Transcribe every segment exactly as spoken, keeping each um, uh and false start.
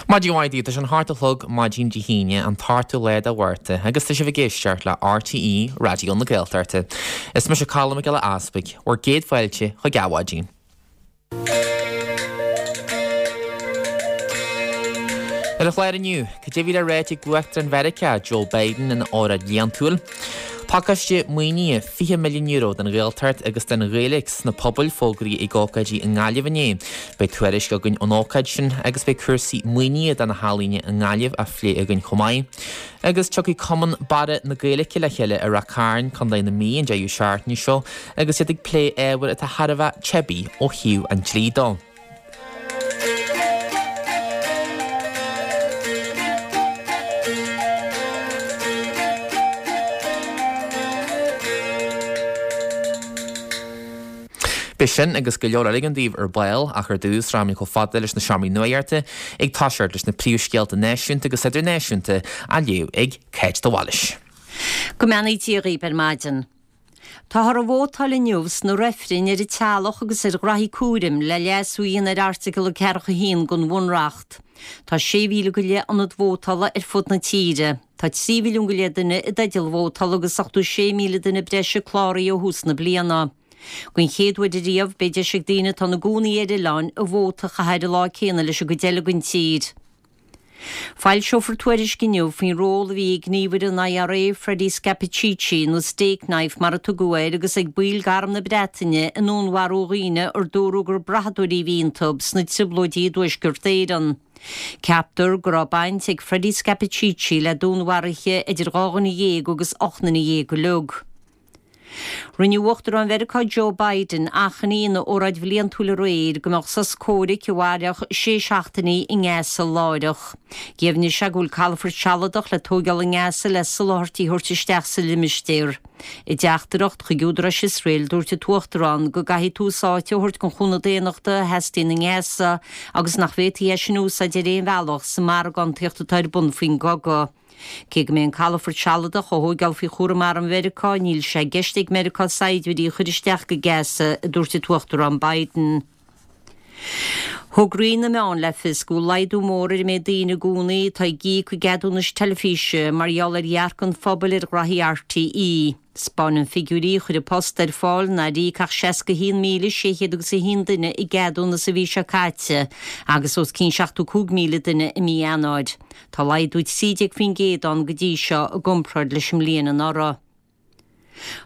Maidin mhaith daoibh, tá sé an hocht a chlog maidin Dé hAoine, an t-ochtú lá de Mhárta, agus tá sibh ag éisteacht le RTÉ Raidió na Gaeltachta. Is mise Colm Mac Giolla Easpaig, bhur gcéad fáilte chuig Adhmhaidin. Ar an chlár inniu, cad é a bhí le ráit ag Uachtarán Mheiriceá, Joe Biden, ina óráid bhliantúil? Pacáiste maoinithe fiche milliún euro don Ghaeltacht agus don Ghaeilge sna pobail fógraithe ag ócáidí i nGaillimh inné. Beidh tuairisc againn ón ócáid sin agus beidh cúrsaí maoinithe do na healaíona i nGaillimh á phlé againn chomh maith. Agus tiocfaidh Cumann Barra na Gaeilge le chéile i Ráth Cairn, Contae na Mí an deireadh seachtaine seo agus iad ag plé ábhar atá thar a bheith teibí ó thaobh an dlí dó. Beidh sin agus go leor eile againn daoibh ar ball ach ar dtús rachaimid chomh fada leis na seomraí nuachta ag toiseacht leis na príomhscéalta náisiúnta agus idirnáisiúnta á léamh ag Cáit de Bhailís. Go mbeannaí Dia dhaoibh ar maidin. Táthar ag vótáil inniu sna reifrinn ar an teaghlach agus ar ghraithí cúraim le leasú a dhéanamh ar Airteagal ceathracha a haon den Bhunreacht. Tá sé mhíle go leith ionad vótála ar fud na tíre. Tá trí mhilliún go leith duine i dteideal vótála agus ochtó sé míle duine breise cláraithe ó thús na bliana. Den chéad uair ariamh, beidh deis ag daoine atá ina gcónaí ar oileáin a vóta a chaitheamh ar an lá céanna leis an gcuid eile den tír. Foilseofar tuairisc inniu faoin ról a bhí ag gníomhaire an IRA, Freddie Scappaticci, nó Stakeknife mar a tugadh air, agus ag baill d'Arm na Breataine i ndúnmharú dhaoine ar dúradh gur brathadóirí a bhí iontu sna trioblóidí i dTuaisceart Éireann. Ceaptar go raibh baint ag Freddie Scappaticci le dúnmharuithe idir dhá dhuine dhéag agus ocht nduine dhéag uilig. Rinne Uachtarán Mheiriceá Joe Biden achainí ina óráid bhliantúil aréir go mbeadh sos comhraic a mhairfeadh sé seachtainí i nGaza láithreach. Dheimhnigh sé go bhfuil calafort sealadach le tóigeáil i nGaza le soláthairtí a thabhairt isteach sa limistéar. I dteachtaireacht chuig údaráis Iosrael dúirt an tUachtarán go gcaithfidh tús áite a thabhairt don chúnamh daonnachta a theastaíonn i nGaza agus nach bhféadfaí é sin a úsáid ar aon bhealach sa mhargántaíocht atá ar bun faoin gcogadh. Cé go mbeidh an calafort sealadach á thóigeáil faoi chúram arm Mheiriceá, níl sé i gceist ag Meiriceá saighdiúirí a chur isteach go Gaza, a dúirt an tUachtarán Biden. Thug Roinn na Meán le fios go bhfuil laghdú mór ar an méid daoine i gcónaí atá ag íoc a gceadúnais teilifíse mar gheall ar dhearcadh an phobail ar ghraithí RTÉ. 'Spáineann figiúirí a chuir An Post ar fáil nár íoc ach seasca a haon míle sé chéad agus a haon duine a gceadúnas an mhí seo caite agus os cionn seachtó cúig míle duine i mí Eanáir. Tá laghdú trí déag faoin gcéad ann go dtí seo i gcomparáid leis an mbliain anuraidh.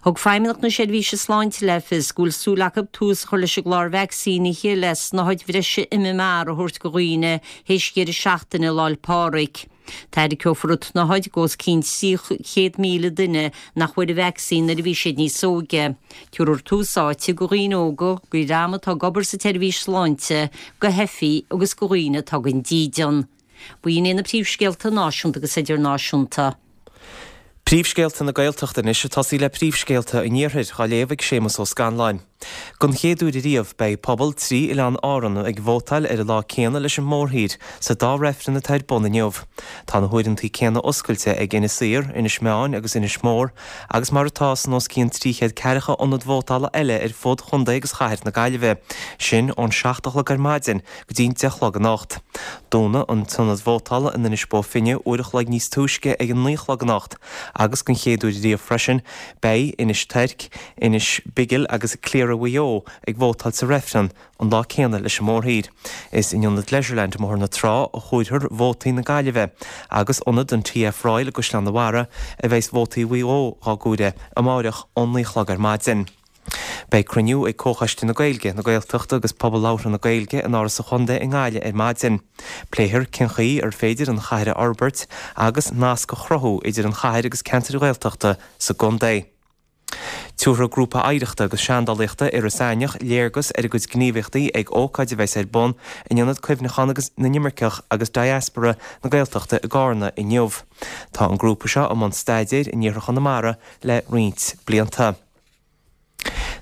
Thug Feidhmeannacht na Seirbhíse Sláinte le fios go bhfuil súil acu tús a chur leis an gclár vacsaínithe le snáthaid bhreise MMR a thabhairt do dhaoine théis dheireadh seachtaine Lá 'le Pádraig. Tairgeofar an tsnáthaid d'os cionn trí chéad míle duine nach bhfuair an vacsaín nuair a bhí siad níos óige. Tabharfar tús áite do dhaoine óga, do dhream atá ag obair sa tseirbhís sláinte, do theifigh agus do dhaoine atá gan dídean. B'in iad na príomhscéalta náisiúnta agus idirnáisiúnta. Príomhscéalta na Gaeltachta anois ag tosaí le príomhscéalta an Iarthair, á léamh ag Séamus Ó Scanláin. Don chéad uair ariamh, beidh pobal trí oileán Árann ag vótáil ar an lá céanna leis an mórthír sa dá reifreann atá ar bun inniu. Tá na huaireanta céanna oscailte ag Inis Oírr, Inis Meáin agus Inis Mór agus mar atá san os cionn trí chéad ceathracha ionad vótála eile ar fud chontae agus chathair na Gaillimhe, sin ón seacht a chlog ar maidin go dtí'n deich a chlog anocht. Dúnadh an t-ionad vótála in Inis Bó Finne uair a chloig níos túisce ag a naoi a chlog anocht agus den chéad uair riamh freisin beidh Inis Toirc, Inis Bigil agus Cliara Mhaigh Eo ag vótáil sa reifreann an lá céanna leis an mórthír. Is in ionad Leisureland i mBóthar na Trá a chomhairfear vótaí na Gaillimhe agus ionad an TF Royal i gCaisleán an Bharraigh a bheas vótaí Mhaigh Eo dhá gcomhaireamh amáireach ón naoi a chlog ar maidin. Beidh cruinniú ag Comhchoiste na Gaeilge, na Gaeltachta agus Pobal Labhartha na Gaeilge in Áras an Chontae i nGaillimh ar maidin. Pléifear cén chaoi ar féidir an chathair a fhorbairt agus nasc a chruthú idir an chathair agus ceantair Ghaeltachta sa gcontae. Tabharfaidh Grúpa Oidhreachta agus Seandálaíochta Iorras Aithneach léargas ar a gcuid gníomhaíochtaí ag ócáid a bheas ar bun in Ionad Cuimhneacháin agus na nImirceach agus Diaspora na Gaeltachta i gCarna inniu. Tá an grúpa seo i mbun staidéir in iarthar Chonamara le roinnt blianta.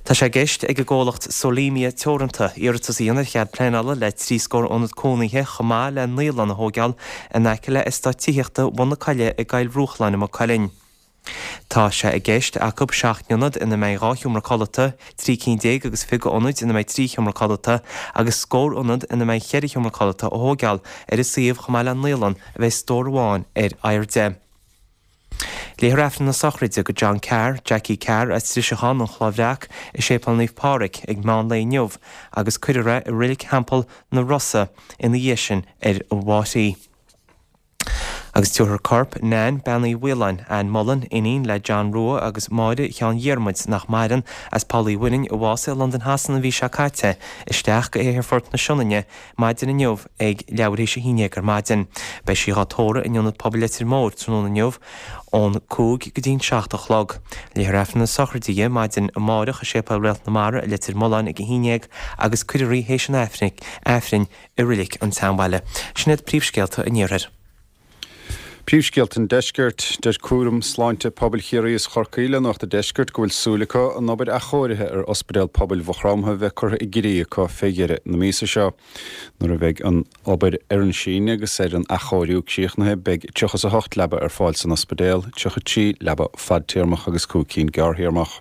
Tá sé i gceist ag an gcomhlacht Solemia Teoranta iarratas a dhéanamh ar chead pleanála le trí scór ionad cónaithe chomh maith le naíolann a thóigeáil in aice le eastát tithíochta Bhun na Coille i gCoill Bhruachláin i Maigh Cuilinn. Tá sé i gceist acu seacht n-ionad ina mbeidh dhá sheomra codlata, trí cinn déag agus fiche ionaid ina mbeidh trí sheomra codlata agus scór ionad ina mbeidh ceithre sheomra codlata a thógáil ar an suíomh chomh maith le naíolann a bheidh stór amháin ar airde. Léifear Aifreann na sochraide do John Carr, Jackie Carr as Driseachán, An Chloich Bhreac, i Séipéal Naomh Pádraig ag meán lae inniu agus cuirfear é i Reilig Theampall na Rosa ina dhiaidh sin ar an Mháirt. Agus tabharfar corp Nan, Bean Uí Mhaoláin, Ann Mullen, iníon le John Rua agus Máire Sheáin Dhiarmuid, nach maireann, as Poll Uí Mhuirinn, a bhásaigh i Londain Shasana an mhí seo caite, isteach go hAerfort na Sionainne maidin inniu ag leathuair théis a haon déag ar maidin. Beidh sí dhá tórramh in Ionad Pobail Leitir Móir tráthnóna inniu ón cúig go dtí'n seacht a chlog. Léifear Aifreann na sochraide di maidin amárach i Séipéal Réalt na Mara i Leitir Mealláin ag a haon déag agus cuirfear í théis an Aifrinn i Reilig an tSeanbhaile. Sin iad príomhscéalta an Iarthair. Príomhscéalta an Deiscirt, Deir Cúram Sláinte Pobail Chiarraí is Chorcaí le Nuacht an Deiscirt go bhfuil súil acu an obair athchóirithe ar Ospidéal Pobail Mhaigh Chromtha bheith curtha i gcrích acu fé dheireadh na míosa seo. Nuair a bheidh an obair ar an síneadh agus ar an athchóiriú críochnaithe beidh tríocha is a hocht leaba ar fáil san ospidéal, tríocha trí leaba fadtéarmach agus cúig cinn gearrthéarmach.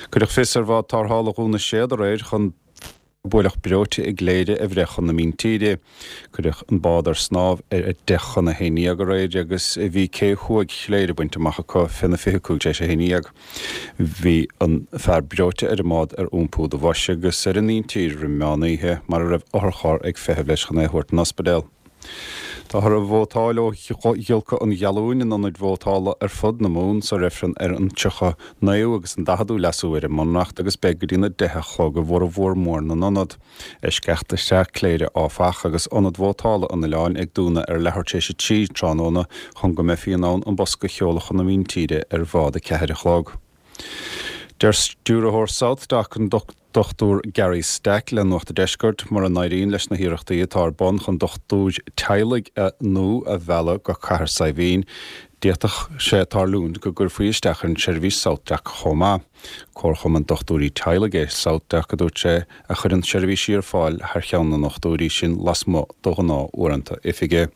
Cuireadh fios ar bhád tarrthála Dhún na Séad aréir chun buaileadh breoite i gCléire a bhreith chun na míntíre. Cuireadh an bád ar snámh ar a deich chun a haon dhéag aréir agus bhí cé thuaidh Chléire bainte amach acu fé na fiche cúig tar éis a haon dhéag. Bhí an fear breoite ar an mbád ar iompú do bhois agus ar an míntír roimh meán oíche mar a raibh otharcharr ag feitheamh leis chun é a thabhairt don ospidéal. Táthar ag vótáil ó ghiolcadh an ghealúin in ionaid vótála ar fud na Mumhan sa reifreann ar an tríocha naoú agus an daicheadú leasú ar an mBunreacht agus beidh go dtí na deich a chlog i bhformhór mór na n-ionad. Eisceacht is ea Cléire áfach agus ionad vótála an oileáin ag dúnadh ar leathuair tar éis a trí tráthnóna chun go mbeifí in ann an bosca a sheoladh chun na míntíre ar bhád a ceathair a chlog. Deir stiúrthóir SouthDoc, an Dochtúir Gary Stack le Nuacht an Deiscirt, mura n-éiríonn leis na hiarrachtaí atá ar bun chun dochtúir teaghlaigh nua a mhealladh go Cathair Saidhbhín, d'fhéadfadh sé tarlúint go gcuirfí isteach ar an tseirbhís SouthDoc chomh maith. Comharchumann dochtúirí teaghlaigh é SouthDoc, a dúirt sé, a chuireann seirbhísí ar fáil thar cheann na ndochtúirí sin lasmuigh de ghnáth-uaireanta oifige.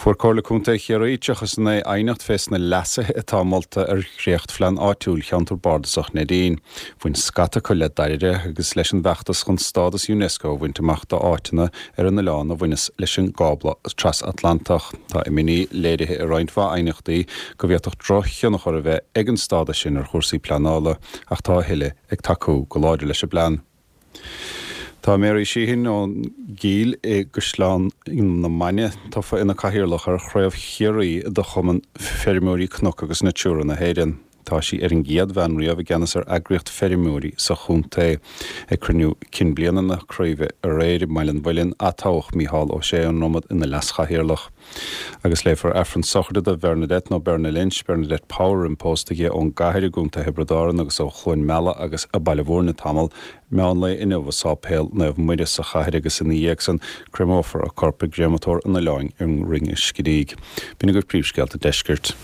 Fuair Comhairle Contae Chiarraí tríocha is a naoi aighneacht fés na leasuithe atá molta ar dhréachtphlean áitiúil Cheantar Bardasach Neidín. Bhain scata acu le dairire agus leis an bhfeachtas chun stádas Unesco a bhaint amach d'áiteanna ar an oileán a bhaineas leis an gcábla trasatlantach. Tá imní léirithe i roinnt mhaith aighneachtaí go bhféadfadh drochthionchar a bheith ag an stádas sin ar chúrsaí pleanála ach tá a thuilleadh ag tacú go láidir leis an bplean. Tá Mary Sheehan ón gCill i gCaisleán na Mainge tofa ina cathaoirleach ar Chraobh Chiarraí de Chumann Feirmeoirí Cnoc agus Natura na hÉireann. Tá sí ar an gcéad bhean riamh i gceannas ar eagraíocht feirmeoirí sa chontae. Ag cruinniú cinn bliana na craoibhe aréir i mBaile an Mhuilinn, atoghadh Mícheál Ó Sé ón Dromad ina leaschathaoirleach. Agus léifear Aifreann sochraide do Bhernadette nó Berna Lynch, Bernadette Power imphósta di ón gCathair i gContae Thiobraid Árann agus ó Chluain Meala agus Baile Mhúirne tamall, meán lae inniu i Sáipéal Naomh Muire sa chathair agus ina dhiaidh san créamófar a corp i gcréamatóir an oileáin i Rinn an Screígh. B'in agaibh príomhscéalta an deiscirt.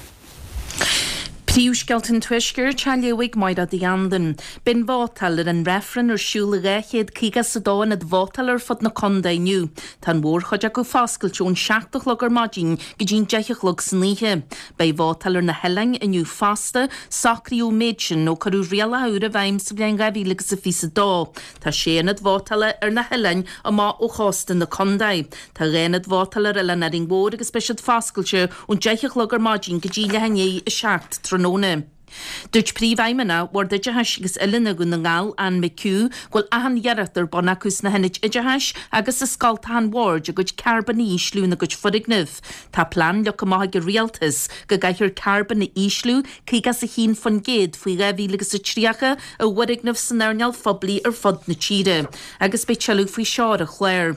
Príomhscéalta an Tuaiscirt á léamh ag Máire Uí Anluain. Beidh an vótáil ar an reifreann ar siúl i dhá chéad caoga is a dó ionad vótála ar fud na contae inniu. Tá an mhórchuid acu foscailte ón seacht a chlog ar maidin go dtí'n deich a chlog san oíche. Beidh vótáil ar na hoileáin inniu fosta. Socraíodh an méid sin ó cuireadh rialacha úra i bhfeidhm sa bhliain dhá mhíle agus a fiche a dó. Tá sé ionad vótála ar na hoileáin amach ó chósta na contae. Tá dhá ionad vótála ar Oileán Árainn Mhór agus beidh siad foscailte ón deich a chlog ar maidin go dtí leath i ndiaidh a seacht tráthnóna. Dúirt Príomhfheidhmeannach Bhord Oideachais agus Oiliúna Dhún na nGall, Anne McHugh, go bhfuil achan iarracht ar bun acu sna hionaid oideachais agus i scoltacha an bhoird a gcuid carbóin a ísliú ina gcuid foirgneamh. Tá plean leagtha amach ag an Rialtas go gcaithfear carbón a ísliú caoga is a haon faoin gcéad faoi dhá mhíle agus a tríocha i bhfoirgnimh san earnáil phoiblí ar fud na tíre agus beidh tuilleadh faoi seo ar an chlár.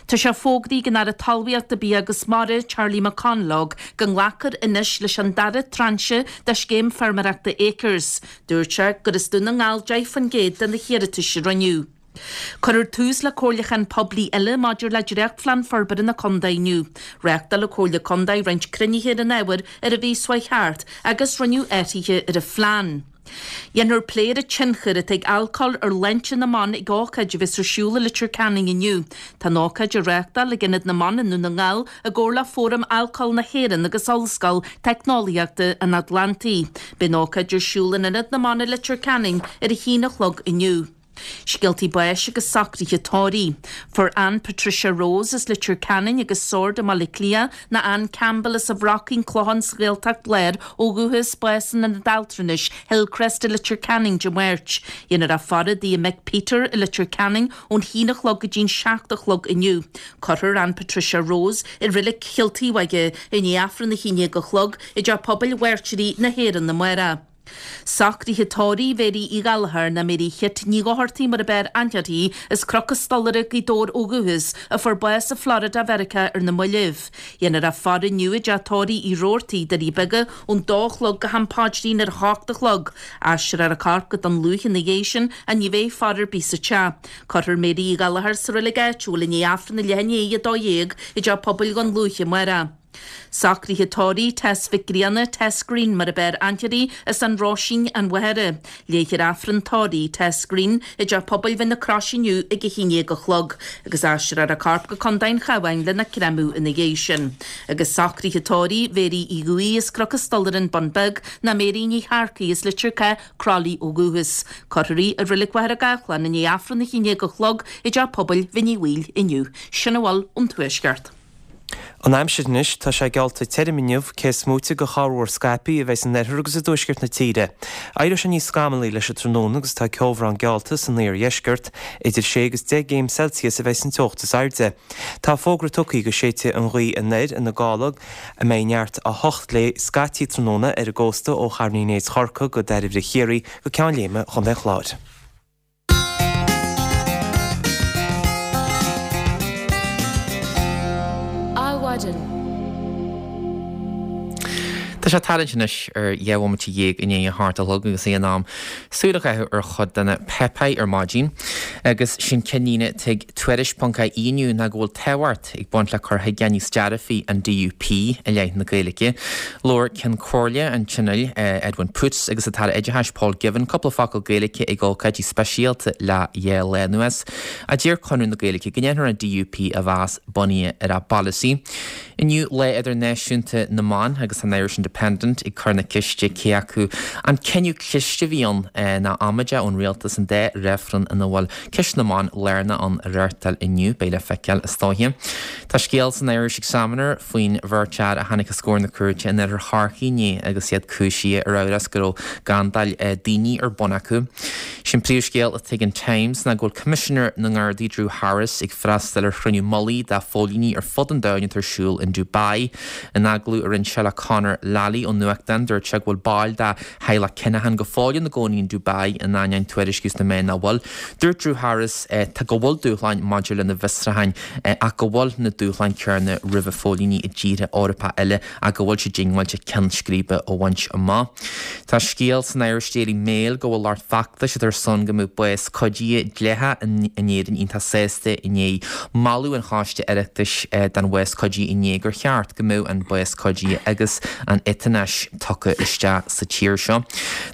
Tá sé fógraithe ag an Aire Talmhaíochta, Bia agus Mara, Charlie McConalogue, go nglacfar anois leis an dara tráinse de scéim feirmeoireachta Acres. Dúirt sé gur as Dún na nGall deich faoin gcéad de na hiarratais a rinneadh. Cuirfear tús le comhairliúchán poiblí eile maidir le dréachtphlean forbartha na contae inniu. Reáchtáil an Chomhairle Contae roinnt cruinnithe ar an ábhar ar an mhí seo chuaigh thart agus rinneadh athruithe ar an phlean. Dhéanfar plé ar an tionchar atá ag alcól ar shláinte na mban ag ócáid a bheas ar siúl i Leitir Ceanainn inniu. Tá an ócáid á reáchtáil ag Ionad na mBan i nDún na nGall i gcomhar le Fóram Alcóil na hÉireann agus Ollscoil Teicneolaíochta an Atlantaigh. Beidh an ócáid ar siúl in Ionad na mBan i Leitir Ceanainn ar a haon a chlog inniu. Scéaltaí báis agus socruithe tórraimh. Fuair Ann Patricia Rose as Leitir Ceanainn agus Sord i mBaile Átha Cliath ná Ann Campbell as an Bhrocaín Clochán sa Ghaeltacht Láir ó dhúchas bás in Ionad Altranais Hillcrest i Leitir Ceanainn Dé Máirt. Dhéanfar a faire i dtigh a mic Peter i Leitir Ceanainn ón haon a chlog go dtí'n seacht a chlog inniu. Cuirfear Ann Patricia Rose i Reilig Chill Taobh i ndiaidh Aifreann a haon déag a chlog i dTeach Pobail Mhairtírigh na hÉireann amárach. Socruithe tórraimh Mhéirí Uí Ghallchóir ná Mary Chit Ní Dhochartaigh mar ab fhearr aithne uirthi, as Cnoc an Stolaire, Gaoth Dobhair ó dhúchas, a fuair bás i Florida Mheiriceá ar na mallaibh. Dhéanfar a faire inniu i dteach tórraimh Uí Robhartaigh, Doirí Beaga, ón dó a chlog go ham paidrín ar a hocht a chlog. Aistreofar a corp go Dún Lúiche ina dhiaidh sin ach ní bheidh faire ar bith sa teach. Cuirfear Mary Uí Ghallchóir sa reilig áitiúil i ndiaidh Aifreann a leath i ndiaidh a dó dhéag i dteach pobail Dhún Lúiche amárach. Socruithe tórraimh Tess Mhic Grianna, Tess Green mar ab fhearr aithne uirthi, as An Roisín, An Mhachaire. Léifear Aifreann tórraimh Tess Green i dTeach Pobail Bhinn na Croise inniu ag a haon déag a chlog agus aistreofar a corp go Contae an Chabháin lena créamadh ina dhiaidh sin. Agus socruithe tórraimh Mhéirí Uí Dhubhthaigh as Cnoc an Stolaire, An Bun Beag, ná Mary Ní Shearcaigh as Leitir Cath, Croithlí ó dhúchas. Cuirfear í i Reilig Mhachaire Gathlán i ndiaidh Aifreann a haon déag a chlog i dTeach Pobail Bhinn Uí Bhaoill inniu. Sin a bhfuil ón Tuaisceart. An aimsir anois, tá sé geallta tirim inniu, cé is móite de chorrmhúr scaipthe a bheidh san oirthear agus i dtuaisceart na tíre. Éireoidh sé níos scamallaí leis an tráthnóna agus tá ceobhrán geallta san iardheisceart. Idir sé agus deich gcéim Celsius a bheidh san teocht is airde. Tá fógra tugtha go séidfidh an ghaoth anoir ina gála a mbeidh neart a hocht léi scaití tráthnóna ar an gcósta ó Chathair Uí Néid Chorcaí go Dairbhre Chiarraí go Ceann Léime Chontae an Chláir. Adhmhaidin. Tá sé tarraingt anois ar dheich bhomaite dhéag i ndiaidh a hocht a chlog agus é in am súil a chaitheamh ar chuid de na páipéir ar maidin. Agus sin ceannlíne atá ag Tuairisc ponc ie inniu ná go bhfuil tábhacht ag baint le cur chuige níos dearfaí an DUP i leith na Gaeilge. Labhair Ceann Comhairle an Tionóil, Edwin Poots agus an tAire Oideachais Paul Givan cúpla focal Gaeilge ag ócáidí speisialta le dhá lá anuas. A deir Conradh na Gaeilge go ndéanfar an DUP a mheas bunaithe ar a bpolasaí. Inniu Lá Idirnáisiúnta na mBan agus an Irish Independent ag cur na ceiste cé acu an cinneadh cliste a bhí ann ná amaideach ón rialtas an dá reifreann ina bhfuil ceist na mban lárnach ann a reáchtáil inniu. Beidh le feiceáil is dóiche. Tá scéal san Irish Examiner faoin bheirt fhear a tháinig os comhair na cúirte in oirthear Chorcaí inné agus iad cúisithe ar amhras go raibh gandáil daoine ar bun acu. Sin príomhscéal atá ag an Times ná go bhfuil Coimisinéir na nGardaí Drew Harris ag freastal ar chruinniú mullaigh de phóilíní ar fud an domhain atá ar siúl in Dubai. In agallamh a rinne sé le Conor Lally ón nuachtán dúirt sé go bhfuil baill de theaghlach Kinahan go fóill ina gcónaí in Dubai in ainneoin tuairisciú sna meáin nach bhfuil. Dúirt Drew Harris tá go bhfuil dúshláin maidir lena bhfiosrúcháin ach go bhfuil na dúshláin céanna roimh phóilíní i dtíortha Eorpacha eile ach go bhfuil sé diongbháilte ceann scríbe a bhaint amach. Tá scéal san Irish Daily Mail go bhfuil lucht feachtais atá ar son go mbeadh bás cuidithe dleathach in Éirinn iontach sásta i ndiaidh moladh an Choiste Oireachtais don bhás cuidithe inné gur cheart go mbeadh an bás cuidithe agus an eotanáis tugtha isteach sa tír seo.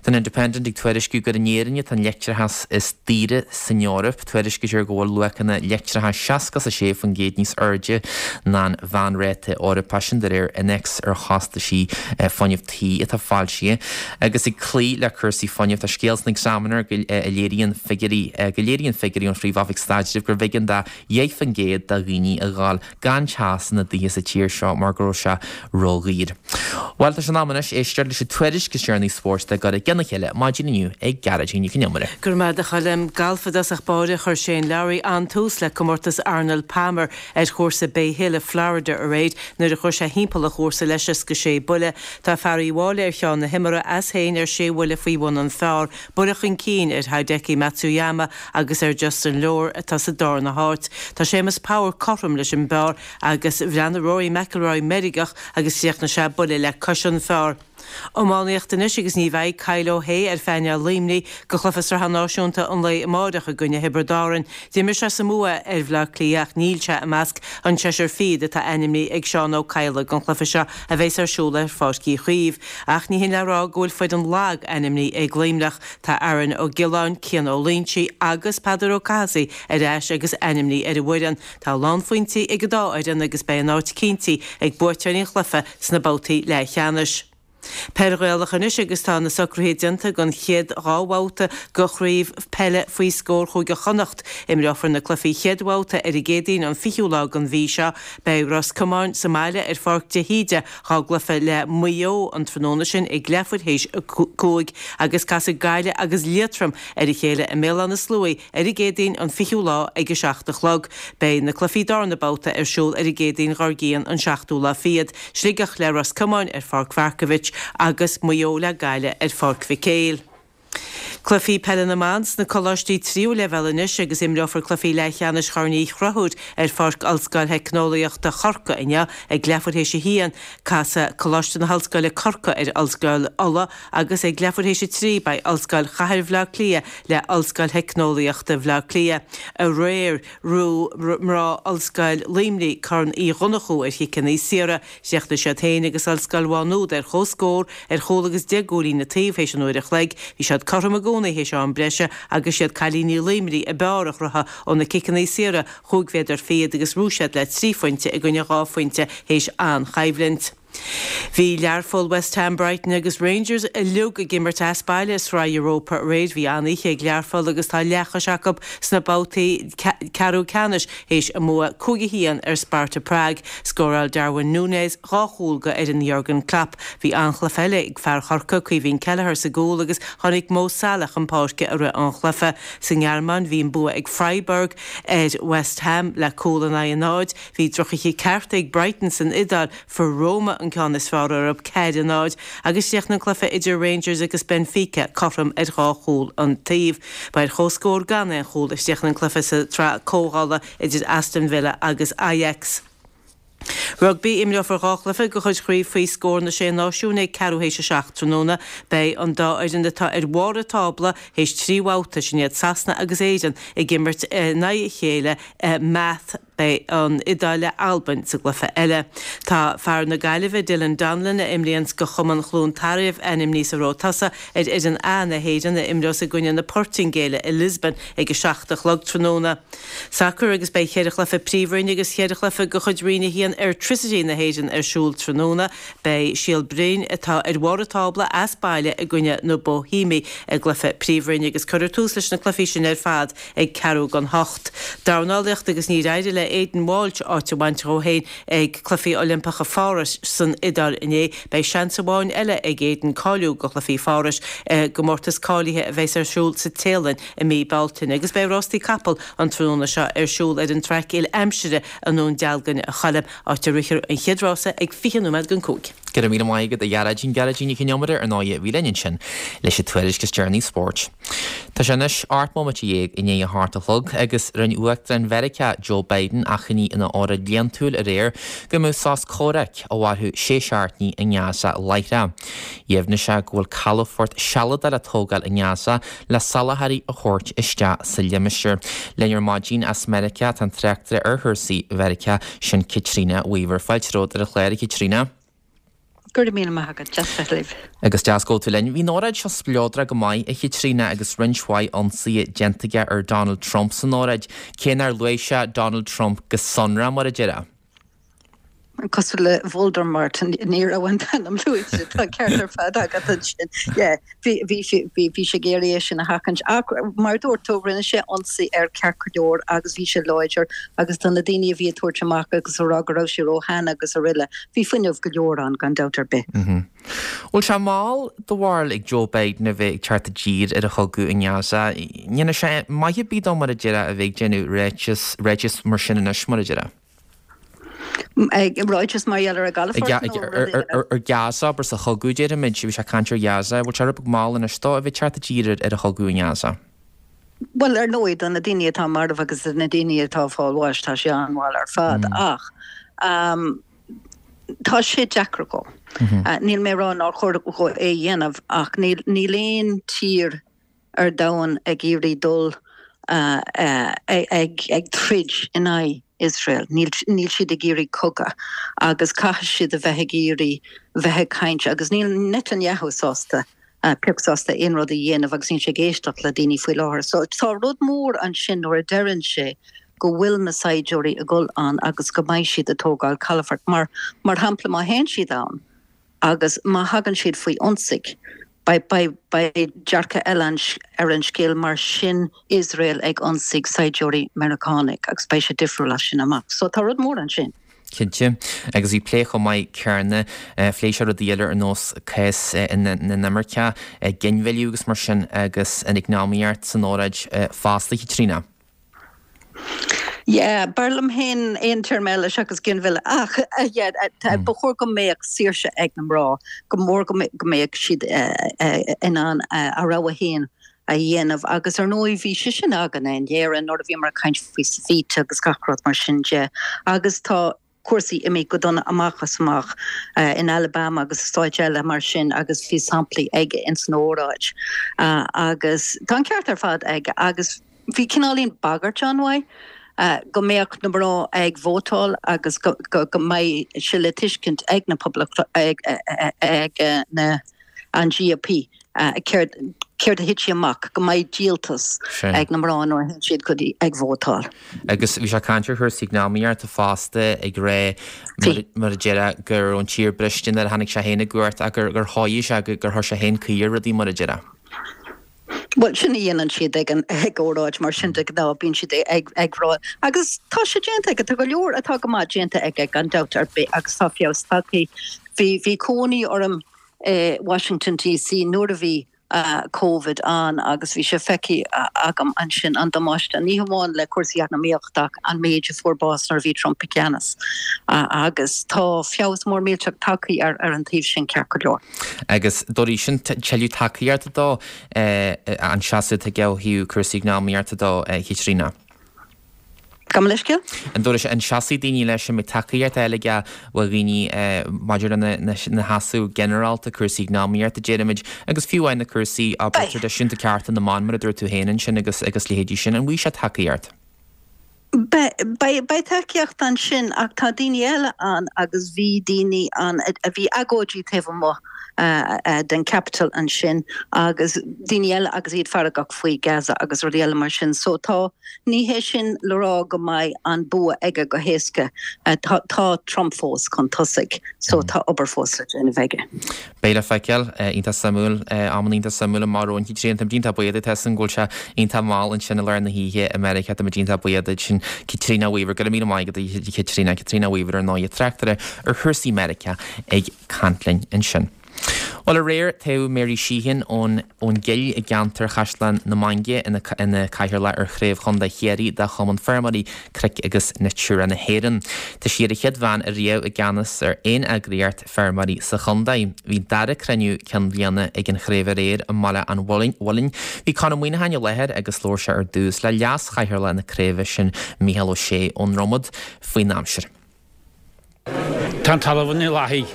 Tá an Independent ag tuairisciú gur in Éirinn atá an leictreachas is daoire san Eoraip. Tuairiscítear go bhfuil luachanna leictreachais seasca is a sé faoin gcéad níos airde ná an mheánráta Eorpach sin de réir innéacs ar chostaisí fuinnimh tí atá foilsithe. Agus ag cloí le cúrsaí fuinnimh tá scéal san Examiner go a léiríonn figiúirí go léiríonn figiúirí ón Phríomh-Oifig Staidrimh gurbh éigean do dheich faoin gcéad de dhaoine a ghabháil gan teas ina dtithe sa tír seo mar go raibh sé ródhaor. Bhuel tá sé in am anois éisteacht leis an tuairisc is deireanaí spóirt le gur i gcionn a chéile maidin inniu ag Gearóidín Nic an Iomaire. Go raibh maith agat a Choilm. Galf i dtosach báire chuir Shane Lowry an-tús le comórtas Arnold Palmer ar chúrsa Bay Hill i Florida aréir nuair a chuir sé thimpeall an chúrsa le seasca sé buille. Tá fear Uíbh Fhailí ar cheann na himeartha as féin ar sé bhuille faoi bhun an phar, buille chun cinn ar Hideki Matsuyama agus ar Justin Lower atá sa darna háit. Tá Séamus Power cothrom leis an bpar agus bhreathnaigh Rory McIlroy meirgeach agus chríochnaigh sé buille le cois an phar. Iománaíocht anois agus ní bheidh Kyle O'Hea ar phainéal Luimnigh do chluiche sraithe náisiúnta an lae amáireach i gcoinne Thiobraid Árann. D'imir sé sa mbua ar Bhleá Cliath ach níl sé i measc an seisear fichead atá ainmnithe ag Seán Ó Cadhla don chluiche seo a bheas ar siúl ar Pháirc Uí Chaoimh. Ach ní hin le rá go bhfuil foireann lag ainmnithe ag Luimneach. Tá Aaron Ó Giolláin, Cian Ó Loingsigh agus Peadar Ó Cathasaigh ar ais agus ainmnithe ar an bhfoireann. Tá lánphointí ag an dá fhoireann agus beidh a n-áit cinntithe ag buaiteoirí an chluiche sna babhtaí leathcheannais. Peil Ghaelach anois agus tá na socruithe déanta don chéad dhá bhabhta de chraobh peile faoi scór Chúige Chonnacht. Imreofar na cluichí chéad bhabhta ar an gCéadaoin an fichiú lá den mhí seo. Beidh Ros Comáin sa mbaile ar Pháirc de hÍde dhá gcluiche le Maigh Eo an tráthnóna sin ag leathuair théis a cúig agus casfaidh Gaillimh agus Liatroim ar a chéile i mBéal Átha na Sluaighe ar an gCéadaoin an fichiú lá ag a seacht a chlog. Beidh na cluichí darna babhta ar siúl ar an gCéadaoin dhár gcionn an seachtú lá fichead, Sligeach le Ros Comáin ar Pháirc Mharkievicz agus Maigh Eo le Gaillimh ar Pháirc Mhic Éil. Cluichí peile na mban sna coláistí tríú leibhéal anois agus imreofar cluichí leathcheannais Chorn Uí Chonchúir ar Pháirc Ollscoil Theicneolaíochta Chorcaí inniu ag leathuair théis a haon. Casfaidh Coláiste na hOllscoile Corcaigh ar Ollscoil Uladh agus ag leathuair théis a trí beidh Ollscoil Chathair Bhaile Átha Cliath le Ollscoil Theicneolaíochta Bhaile Átha Cliath. Aréir bhuaigh mná Ollscoil Luimnigh Corn Uí Dhonnchú ar chiceanna saora. Chríochnaigh siad féin agus Ollscoil Mhá Nuad ar comhscór ar chúl agus deich gcúilín an taobh théis an uair a chloig. Bhí siad cothrom i gcónaí théis am breise agus siad cailíní Luimnigh ab fhearr a chruthaigh ó na ciceanna saora chúig mhéadar fichead agus bhuaigh siad le trí phointe i gcoinne dhá phointe théis an-choimhlint. Bhí Learpholl, West Ham, Brighton agus Rangers uilig ag imirt as baile i Sraith Europa aréir. Bhí an-oíche ag Learpholl agus tá leathchois acu sna babhtaí ceathrú ceannais théis a mbua cúig a haon ar Sparta Prague. Scóráil Darwin Núñez dhá chúl do fhoireann Jurgen Klopp. Bhí an-chluiche eile ag fear Chorcaí, Caoimhín Kelleher sa gcúl agus tháinig Mo Salah chun páirce i rith an chluiche. Sa nGearmáin bhí an bua ag Freiburg ar West Ham le cúl in aghaidh a náid. Bhí drochoíche ceart ag Brighton san Iodáil. Fuair Roma an ceann is fearr orthu, ceathair a náid, agus chríochnaigh an cluiche idir Rangers agus Benfica cothrom ar dhá chúl an taobh. Ba ar comhscór gan aon chúl a chríochnaigh an cluiche sa tsraith comhdhála idir Aston Villa agus Ajax. Rugbaí, Imreofar dhá chluiche de chuid Chraobh faoi scór na Sé Náisiún ag ceathrú théis a seacht tráthnóna. Beidh an dá fhoireann atá ar bharr an tábla théis trí bhabhta, sin iad Sasana agus Éirinn, ag imirt in aghaidh a chéile i Meath. Beidh an Iodáil le Albain sa gcluiche eile. Tá fear na Gaillimhe, Dylan Donnellan, a imríonns do Chumann Chluain Tarbh, ainmnithe sa rogha tosaigh ar fhoireann A na hÉireann a imreos i gcoinne na Portaingéile i Lisbon ag a seacht a chlog tráthnóna. Sacar agus beidh cheithre chluiche Príomhroinne agus cheithre chluiche de chuid Roinn a haon Airtricity na hÉireann ar siúl tráthnóna. Beidh Síol Broin, atá ar bharr an tábla, as baile i gcoinne na Boihéimigh i gcluiche Príomhroinne agus cuirfear tús leis na cluichí sin ar fad ag ceathrú don hocht. Dornálaíocht agus níor éirigh le Aidan Walsh áit a bhaint dhó féin ag Cluichí Oilimpeacha Pháras san Iodáil inné. Beidh seans amháin eile ag Aidan cáiliú do Chluichí Pháras i gcomórtas cáilithe a bheas ar siúl sa Téalainn i mí Bealtaine agus beidh rástaí capall an tráthnóna seo ar siúl ar an traic uile-aimsire i nDún Dealgan a Choilm, áit a rithfear an chéad rása ag fiche nóiméad don cúig. Go raibh míle maith agat a Ghearóidín, Gearóidín Nic Con Iomaire ar ndóigh a bhí linn ansin leis an tuairisc is deireanaí spóirt. Tá sé anois ocht mbomaite dhéag i ndiaidh a hocht a chlog agus rinne Uachtarán Mheiriceá Joe Biden achainí ina óráid bhliantúil aréir go mbeadh sos comhraic a mhairfeadh sé seachtainí i nGaza láithreach. Dheimhnigh sé go bhfuil calafort sealadach le tógáil i nGaza le soláthairí a thabhairt isteach sa limistéar. Linn ar maidin as Meiriceá tá an tráchtaire ar chúrsaí Mheiriceá, sin Caitríona Weaver. Fáilte romhat ar an chlár, a Chaitríona. Go raibh míle maith agat, deas bheith libh. Agus deas go bhfuil tú linn. Bhí an óráid seo spleodrach go maith, a Chaitríona, agus roinnt mhaith ionsaithe déanta aige ar Donald Trump san óráid, cé nár luaigh sé Donald Trump go sonrath, mar a déarfá. Cosúil le Voldemort, ní raibh an t-ainm luaite, tá an ceart ar fad agat ansin. Yeah, bhí, bhí sé, bhí, bhí sé ag iarraidh é sin a sheachaint. Ach mar a dúirt tú, rinne sé ionsaí air ceart go leor agus bhí sé láidir agus do na daoine a bhí ag tabhairt amach agus ag rá go raibh sé róshean agus araile, bhí fuinneamh go leor ann gan dabht ar bith. Bhfuil sé mall do bharúil ag Joe Biden a bheith ag teacht i dtír ar an chogadh i nGaza? Ní dhéanfaidh sé maith ar bith dó mar a déarfá a bheith ag déanamh ráiteas, ráiteas mar sin anois mar a déarfá. Ráiteas mar gheall ar an gcalafort nó rud éigin eile? Ar Gaza, abair sa chogadh déarfaimid, bhí sé ag caint ar Ghaza, bhfuil sé rud beag mall anois dó a bheith ag teacht i dtír ar an chogadh i nGaza? Bhuel, ar ndóigh, do na daoine atá marbh agus do na daoine atá ag fáil bháis, tá sé an-mhall ar fad. Ach Tá sé deacair dhó. Níl mé ag rá nár chóir dhó é a dhéanamh ach níl níl aon tír ar domhan ag iarraidh dul ag ag troid in aghaidh Iosrael. Níl níl siad ag iarraidh cogadh agus caithfidh siad a bheith ag iarraidh bheith ag caint agus níl Netanyahu sásta pioc sásta aon rud a dhéanamh agus níl sé ag éisteacht le daoine faoi láthair. So tá rud mór ansin nuair a deireann sé go bhfuil na saighdiúirí ag dul ann agus go mbeidh siad ag tógáil calafort. Mar mar shampla má théann siad ann agus má thagann siad faoi ionsaí, beidh beidh beidh dearcadh eile ar an scéal mar sin Iosrael ag ionsaí saighdiúirí Meiriceánaigh agus beidh sé difriúil as sin amach. So tá rud mór ansin. Cinnte. Agus bhí plé chomh maith céanna, phléigh sé rudaí eile ar nós cás na n-imirceach, ginmhilleadh agus mar sin agus an eacnamaíocht san óráid fosta, a Chaitríona. Yeah, b'fhearr liom féin aon téarma eile seachas ginmhilleadh ach yeah, ba chóir go mbeadh saoirse ag na mná, go mór go mbeadh siad in ann a rogha féin a dhéanamh agus ar ndóigh bhí sé sin againn in Éirinn nuair a bhíomar ag caint faoi Savita agus gach rud mar sin de agus tá cúrsaí imithe go dona amach as amach in Alabama agus i stáit eile mar sin agus bhí samplaí aige ins an óráid agus tá an ceart ar fad aige agus bhí cineáilín bagairt ann uaidh go mbeadh na mná ag vótáil agus go mbeidh sé le tuiscint ag na poblacht ag ag na an GOP céard céard a thitfidh amach, go mbeidh díoltas ag na mná nuair a théann siad go dtí ag vótáil. Agus bhí sé ag caint ar chúrsaí eacnamaíochta fosta ag rá mar a déarfá go raibh an tír briste nuair a tháinig sé féin i gcumhacht ach gur chothaigh sé gur chuir sé féin caoi ar rudaí mar a déarfá. Bhuel, sin a dhéanann siad ag an ag óráid mar sin de ghnáth, bíonn siad ag ag rá agus tá sé déanta aige, tá go leor atá go maith déanta aige gan dabht ar bith agus tá feabhas tagtha. Bhí bhí cónaí orm i Washington DC nuair a bhí Covid ann agus bhí sé feicthe agam ansin an damáiste, ní hamháin le cúrsaí eacnamaíochta ach an méid a fuair bás nuair a bhí Trump i gceannas. Agus tá feabhas mór millteach tagtha ar ar an taobh sin ceart go leor. Agus dá bhrí sin tuilleadh tacaíochta dó an seasamh atá aige ó thaobh cúrsaí eacnamaíochta de, a Chaitríona. Gabh mo leithscéal? An dóigh an seasfaidh daoine leis an mbeidh tacaíocht eile aige ó dhaoine maidir lena sheasamh ginearálta, cúrsaí eacnamaíochta, déarfaimid, agus fiú amháin na cúrsaí, abair, traidisiúnta cearta na mban, mar a dúirt tú féin ansin agus agus leithéidí sin, an bhfaighidh sé tacaíocht? Beidh, beidh tacaíocht ansin ach tá daoine eile ann agus bhí daoine ann a bhí agóidí taobh amuigh den Capitol ansin agus daoine eile agus iad feargach faoi Gaza agus rudaí eile mar sin. So tá, ní hé sin le rá go mbeidh an bua aige go héasca. Tá, tá Trump fós chun tosaigh so tá obair fós le déanamh aige. Beidh le feiceáil. Iontach suimiúil. Amanna iontach suimiúil amach romhainn. Caitríona, táimid iontach buíoch duit as an go bhfuil sé iontach mall ansin i lár na hoíche i Meiriceá. Táimid iontach buíoch duit sin Caitríona Weaver. Go raibh míle maith agat a Chaitríona. Caitríona Weaver ar ndóigh, tráchtaire ar chúrsaí Meiriceá ag caint linn ansin. Bhuel, aréir toghadh Mary Sheehan ón ón gCill i gceantar Chaisleán na Mainge ina ina cathaoirleach ar Chraobh Chontae Chiarraí de Chumann Feirmeoirí Cnoic agus Natura na hÉireann. Tá sí ar an chéad bhean ariamh i gceannas ar aon eagraíocht feirmeoirí sa chontae. Bhí an dara cruinniú cinn bhliana ag an chraobh aréir i mBaile an Mhuilinn. Bhí Conn Ó Muíneacháin i láthair agus labhair sé ar dtús le leas-chathaoirleach na craoibhe sin, Mícheál Ó Sé ón Dromad, faoin aimsir. Tá an talamh ina lathaigh.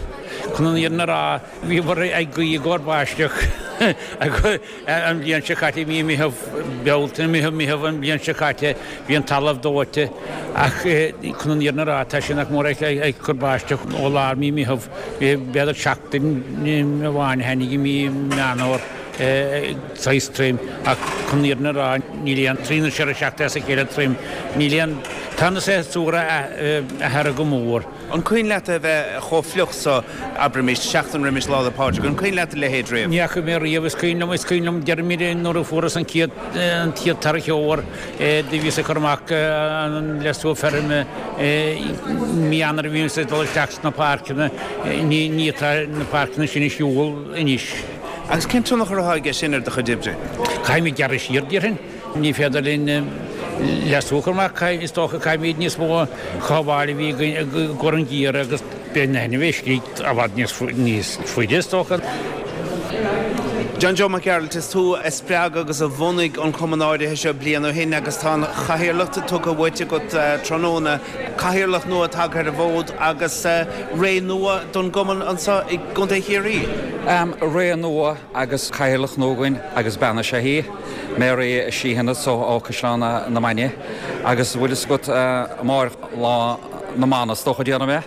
Chun an fhírinne a rá, bhíomar ag guí i gcomhair báisteach an bhliain seo caite, mí Meitheamh, Bealtaine, Meitheamh, Meitheamh an bhliain seo caite, bhí an talamh dóite ach chun an fhírinne a rá, tá sé nach mór ag cur báisteach ó lár mí Meitheamh, b'fhéidir seachtain amháin a tháinig i mí Meán Fhómhair saghas tirim ach chun an fhírinne a rá, níl aon trí nó ceithre seachtaine as a chéile tirim, níl aon, tá na séasúir athraithe go mór. An cuimhin leat é bheith chomh fliuch so, abraimis, seachtain roimis Lá 'le Pádraig, an cuimhin leat a leithéid riamh? Ní fhaca mé riamh, is cuimhin liom, is cuimhin liom, deirimid nuair a fuarthas an chéad, an chéad tarrac fhómhair, do bhíos ag cur amach an leasú feirme i mí Eanáir a bhíomsa ag dul isteach sna páirceanna, ní, ní tá na páirceanna sin ar shiúl anois. Agus cén tionchar atá aige sin ar do chuid oibre? Caithfimid gearradh siar, déarfainn. Ní féidir linn leasú a chur amach, is dócha, caithfimid níos mó cothabháil a bhí againn i gcomhair an gheimhridh agus beidh na hainmhithe istigh i bhfad níos faide, is dócha. John Joe Mac Gearailt, is tú a spreag agus a bhunaigh an cumann áirithe seo bliain ó shin agus tá an chathaoirleacht tugtha uait agat tráthnóna. Cathaoirleach nua tagtha ar an bhfód agus ré nua don gcumann anseo i gContae Chiarraí. Ré nua agus cathaoirleach nua againn agus bean is ea í, Mary Sheehan anseo ó Chaisleán na Mainge agus bhfuil fhios agat amárach Lá na mBan is dócha déarfaidh mé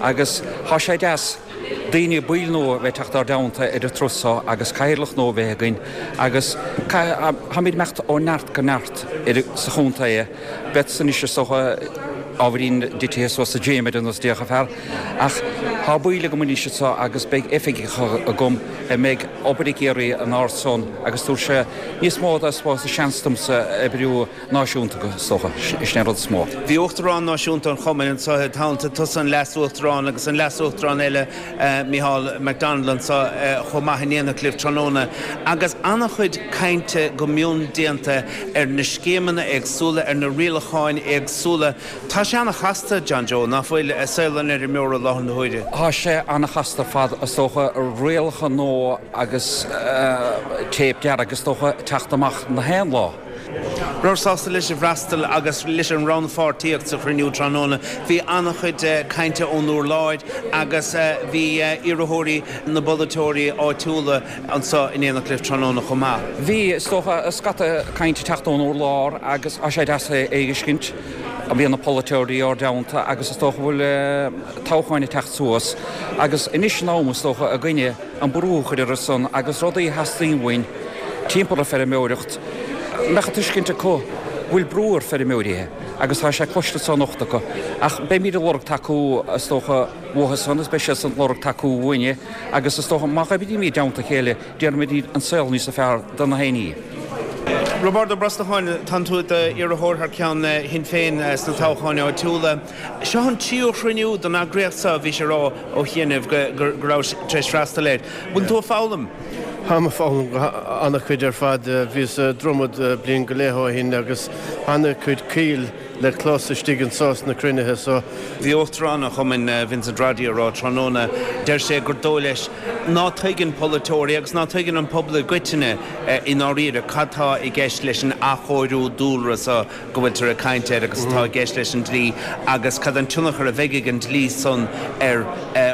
agus tá sé deas daoine baill nua a bheith teacht ár dteannta ar an turas seo agus cathaoirleach nua a bheith againn agus táimid ag imeacht ó neart go neart sa chontae. Beadsa anois is dócha ábhairín titithe suas sa gym ar nós déarfadh fear ach tá baill agam anois anseo agus beidh oifigigh agam a mbeidh obair ag iarraidh inár son agus tabharfaidh sé níos mó de seans domsa oibriú náisiúnta is dócha, sin an rud is mó. Bhí Uachtarán Náisiúnta an Chumainn anseo i dteannta tusa an Leas-Uachtarán agus an Leas-Uachtarán eile Micheál McDonald anseo chomh maith in éineacht libh tráthnóna agus an-chuid cainte go mion déanta ar na scéimeanna éagsúla, ar na rialacháin éagsúla. Tá sé an-chasta, John Joe, ná fuil, saol an fheirmeora i láthair na huaire? Tá sé an-chasta ar fad, is dócha, rialacha nua agus téip dearg is dócha ag teacht amach na haon lá. Rabhabhair sásta leis an bhfreastal agus leis an rannpháirtíocht sa chruinniú tráthnóna. Bhí an-chuid cainte ón urlár agus bhí iarrthóirí na bpolaiteoirí áitiúla anseo in éineacht libh tráthnóna chomh maith. Bhí, is dócha, scata cainte ag teacht ón urlár agus tá sé deas é a fheiscint. Bhí na polaiteoirí ár dteannta agus is dócha go bhfuil toghcháin ag teacht suas agus anois an am is dócha againne an brú a chur orthu san agus rudaí a theastaíonn uainn timpeall ar feirmeoireacht, mbeadh an tuiscint acu go bhfuil brú ar feirmeoirí agus tá sé cloiste anso anocht acu. Ach beimid ag lorg tacú is dócha uathu san agus beidh siadsan ag lorg tacú uainne agus is dócha má oibrímid i dteannta a chéile déanfaimid an saol níos fearr do na héinní. Roibeárd Ó Brosnacháin, tánn tú i d'iarrthóir thar ceann Shinn Féin sna toghcháin áitiúla. Seo an tríú chruinniú don eagraíocht seo, bhís ag rá ó chianaibh go rabhais tar éis freastal air. Bhfuil tú ag foghlaim? Táim ag foghlaim an-chuid ar fad. Bhíos i Dromad bliain go leith ó shin agus an-chuid ciall le clos istigh anso sna cruinnithe so. Bhí Uachtarán an Chumainn, Vincent Roddy, ag rá tráthnóna, deir sé gur dóigh leis ná tuigeann polaiteoirí agus ná tuigeann an pobal i gcoitinne i ndáiríre cad tá i gceist leis an athchóiriú dúlra so go bhfuiltear ag caint air agus atá i gceist leis an dlí agus cad an tionchar a bheidh ag an dlí san ar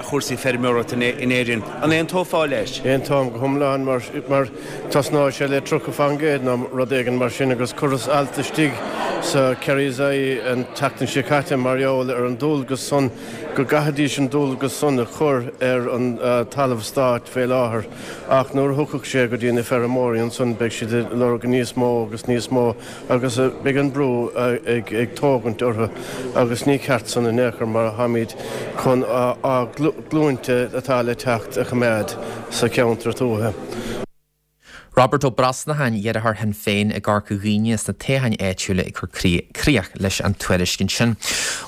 chúrsaí feirmeoireachta in Éirinn. An aontófá leis? Aontaím go hiomlán mar mar tosnóidh sé le tríocha faoin gcéad nó rud éigin mar sin agus chuireas alt istigh sa Kerry's Eye an tseachtain seo caite mar gheall ar an dualgas san go gcaithfidís an dualgas san a chur ar an talamh stáit fé láthair ach nuair a thiocfadh sé go dtí na feirmeoirí ansan beidh siad ag lorg níos mó agus níos mó agus beidh an brú ag ag tógaint orthu agus ní ceart san in aon chor mar táimid chun ár nglúinte atá le teacht a choimeád sa cheantar tuaithe. Roibeárd Ó Brosnacháin, iarrthóir Shinn Féin i gCorca Dhuibhne sna toghcháin áitiúla ag cur críoch leis an tuairiscint sin.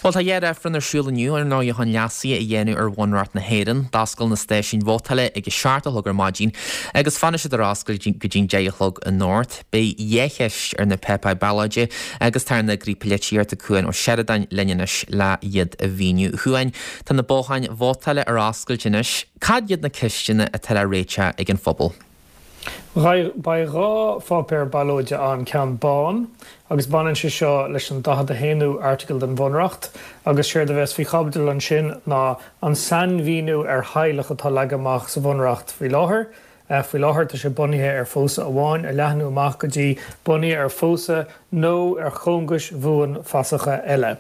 Bhuel tá dhá reifreann ar siúl inniu ar ndóigh chun leasuithe a dhéanamh ar Bhunreacht na hÉireann. D'oscail na stáisiúin vótála ag a seacht a chlog ar maidin agus fanfaidh siad ar oscailt go dtí'n deich a chlog anocht. Beidh dhá cheist ar na páipéir ballóide agus tá ár n-eagraí polaitíochta Cuan Ó Seireadáin linn anois le iad a mhíniú. A Chuain, tá na botháin vótála ar oscailt anois. Cad iad na ceisteanna atá le réiteach ag an phobal? Beidh dhá pháipéar ballóide ann, ceann bán, agus baineann sé seo leis an daichead a haonú Airteagal den Bhunreacht, agus séard a bheas faoi chaibidil ansin ná an sainmhíniú ar theaghlach atá leagtha amach sa Bhunreacht faoi láthair. Faoi láthair tá sé bunaithe ar phósadh amháin, a leathnú amach go dtí bunaithe ar phósadh nó ar chóngais bhuanfhasacha eile.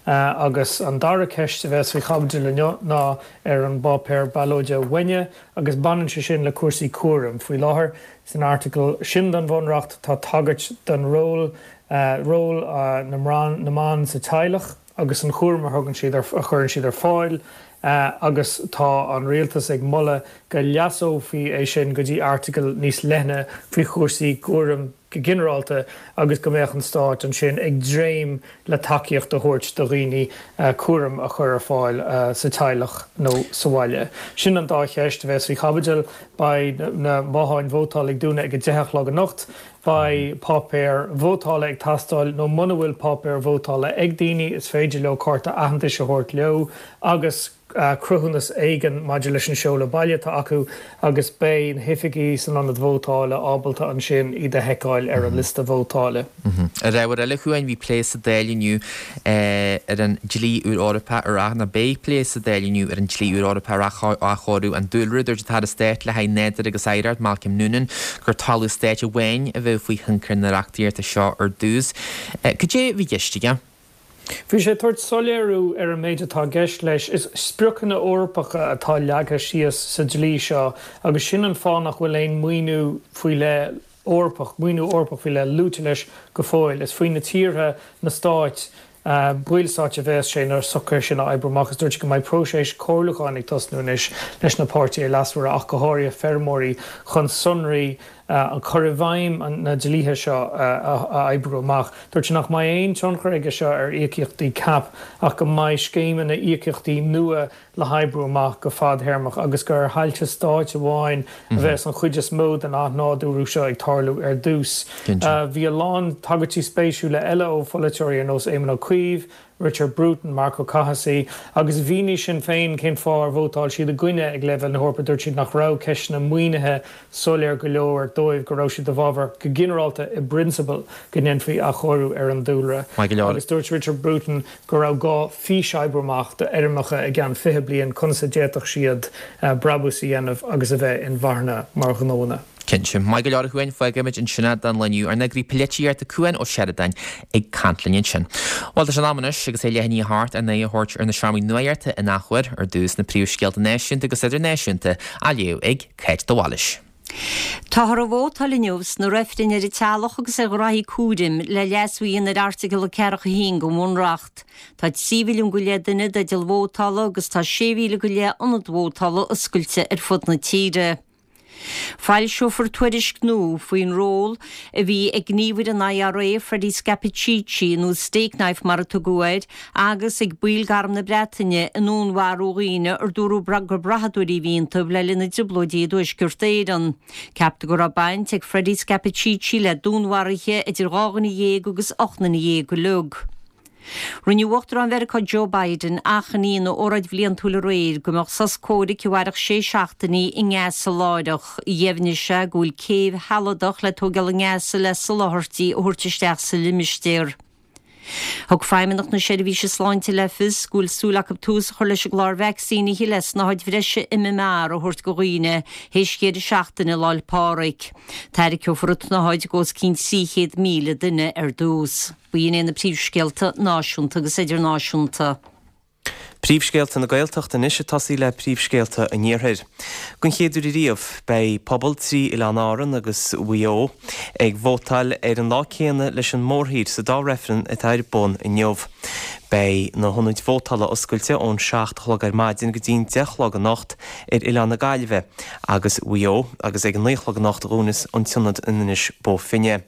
Agus an dara ceist a bheas faoi chaibidil inniu ná ar an bpáipéar ballóide uaine agus baineann sé sin le cúrsaí cúraim. Faoi láthair, san airteagal sin den Bhunreacht tá tagairt don ról, ról na na mban sa teaghlach agus an chúram a thugann siad, a chuireann siad ar fáil agus tá an rialtas ag moladh go leasófaí é sin go dtí airteagal níos leithne faoi chúrsaí cúraim go ginearálta agus go mbeadh an stát ansin ag dréim le tacaíocht a thabhairt do dhaoine cúram a chur ar fáil sa teaghlach nó sa bhaile. Sin an dá cheist a bheas faoi chaibidil. Beidh na botháin vótála ag dúnadh ag a deich a chlog anocht. Beidh páipéir vótála ag teastáil nó muna bhfuil páipéar vótála ag daoine is féidir leo cárta aitheantais a thabhairt leo agus cruthúnas éigin maidir leis an seoladh baile atá acu agus beidh na hoifigigh san ionad vótála ábalta ansin iad a sheiceáil ar an liosta vótála. Ar ábhar eile chugainn, bhí plé sa Dáil inniu ar an dlí úr Eorpach ar ath, nó beidh plé sa Dáil inniu ar an dlí úr Eorpach ar athchóiriú an dúlra. Dúirt an tAire Stáit le haghaidh Nádúr agus Oidhreacht, Malcolm Noonan, gur talamh stáit amháin a bheadh faoi thionchar na reachtaíochta seo ar dtús. Cad é a bhí i gceist aige? Bhí sé ag tabhairt soiléiriú ar an méid atá i gceist leis. Is spriocanna Eorpacha atá leagtha síos sa dlí seo agus sin an fáth nach bhfuil aon maoiniú faoi leith Eorpach, maoiniú Eorpach faoi leith luaite leis go fóill. Is faoi na tíortha, na stáit, ballstáit a bheas sé na socruithe sin a oibriú amach agus dúirt sé go mbeidh próiseas comhairliúcháin ag tosnú anois leis na páirtithe leasmhara ach go háirithe feirmeoirí chun sonraí an cur i bhfeidhm na dlíthe seo a oibriú amach. Dúirt sé nach mbeidh aon tionchar aige seo ar íocaíochtaí cap ach go mbeidh scéimeanna íocaíochtaí nua le hoibriú amach go fadthéarmach agus gur ar thailte stáit amháin a bheas an chuid is mó den athnádúrú seo ag tarlú ar dtús. Bhí a lán tagairtí spéisiúla eile ó pholaiteoirí ar nós Éamon Ó Cuív, Richard Bruton, Marc Ó Cathasaigh agus mhínigh Sinn Féin cén fáth ar vótáil siad i gcoinne ag leibhéal na hEorpa. Dúirt siad nach raibh ceisteanna maoinithe soiléir go leor dóibh, go raibh siad i bhfabhar go ginearálta i bprionsabal go ndéanfaí athchóiriú ar an dúlra. Agus dúirt Richard Bruton go raibh gá fís a oibriú amach d'fheirmeacha i gceann fiche bliain conas a d'fhéadfadh siad brabús a dhéanamh agus a bheith inmharthana mar ghnónna. Cinnte. Maith go leor a Chuain, fágfaimid ansin é don lá inniu. Ár n-eagraí polaitíochta Cuan Ó Seireadáin ag caint linn ansin. Bhuel, tá sé in am anois, agus é leath i ndiaidh a hocht, ár n-aghaidh a thabhairt ar na seomraí nuachta in athuair, ar dtús na príomhscéalta náisiúnta agus idirnáisiúnta á léamh ag Cáit de Bhailís. Táthar ag vótáil inniu sna reifrinn ar an teaghlach agus ar ghraithí cúraim le leasú a dhéanamh ar Airteagal a ceathracha a haon den Bhunreacht. Tá trí mhilliún go leith duine i dteideal vótála agus tá sé mhíle go leith ionad vótála oscailte ar fud na tíre. Foilseofar tuairisc nua faoin ról a bhí ag gníomhaire an IRA, Freddie Scappaticci, nó Stakeknife mar a tugadh air, agus ag baill d'Arm na Breataine i ndúnmharú dhaoine ar dúradh gur brathadóirí a bhí iontu le linn na dTrioblóidí i dTuaisceart Éireann. Ceaptar go raibh baint ag Freddie Scappaticci le dúnmharuithe idir dhá dhuine dhéag agus ocht nduine dhéag uilig. Rinne Uachtarán Mheiriceá Joe Biden achainí ina óráid bhliantúil aréir go mbeadh sos comhraic a mhairfeadh sé seachtainí i nGaza láithreach. Dheimhnigh sé go bhfuil céibh shealadach le tógáil i nGaza le soláthairtí a thabhairt isteach sa limistéar. Thug Feidhmeannacht na Seirbhíse Sláinte le fios go bhfuil súil acu tús a chur leis an gclár vacsaínithe le snáthaid bhreise MMR a thabhairt do dhaoine théis dheireadh seachtaine Lá 'le Pádraig. Tarraiceofar an tsnáthaid go os cionn trí chéad míle duine ar dtús. B'in iad na príomhscéalta náisiúnta agus idirnáisiúnta. Príomhscéalta na Gaeltachta anois ag tosaí le príomhscéalta an Iarthair. Don chéad uair ariamh, beidh pobal trí Oileán Árann agus Mhaigh Eo ag vótáil ar an lá céanna leis an mórthír sa dá reifreann atá ar bun inniu. Beidh na hionaid vótála oscailte ón seacht a chlog ar maidin go dtí'n deich a chlog anocht ar Oileán na Gaillimhe agus Mhaigh Eo agus ag a naoi a chlog anocht a dhúnas an t-ionad in Inis Bó Finne.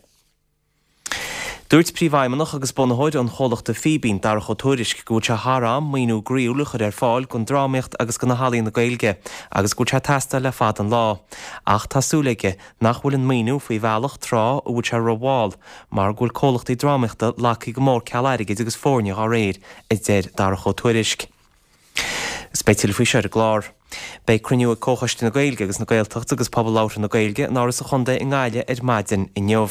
Dúirt Príomhfheidhmeannach agus bunaitheoir an chomhlachta Fíbín, Darach Ó Tuairisg, go bhfuil sé thar am maoiniú groíúil a chur ar fáil don drámaíocht agus do na healaíona Gaeilge agus go bhfuil sé ag teastáil le fada an lá. Ach tá súil aige nach bhfuil an maoiniú faoi bhealach tráth a bhfuil sé rómhall mar go bhfuil comhlachtaí drámaíochta lagtha go mór ceal airgid agus foirne dá réir, a deir Darach Ó Tuairisg. Is beidh tuilleadh faoi seo ar an gclár. Beidh cruinniú ag Comhchoiste na Gaeilge agus na Gaeltachta agus Pobal Labhartha na Gaeilge in Áras an Chontae i nGaillimh ar maidin inniu.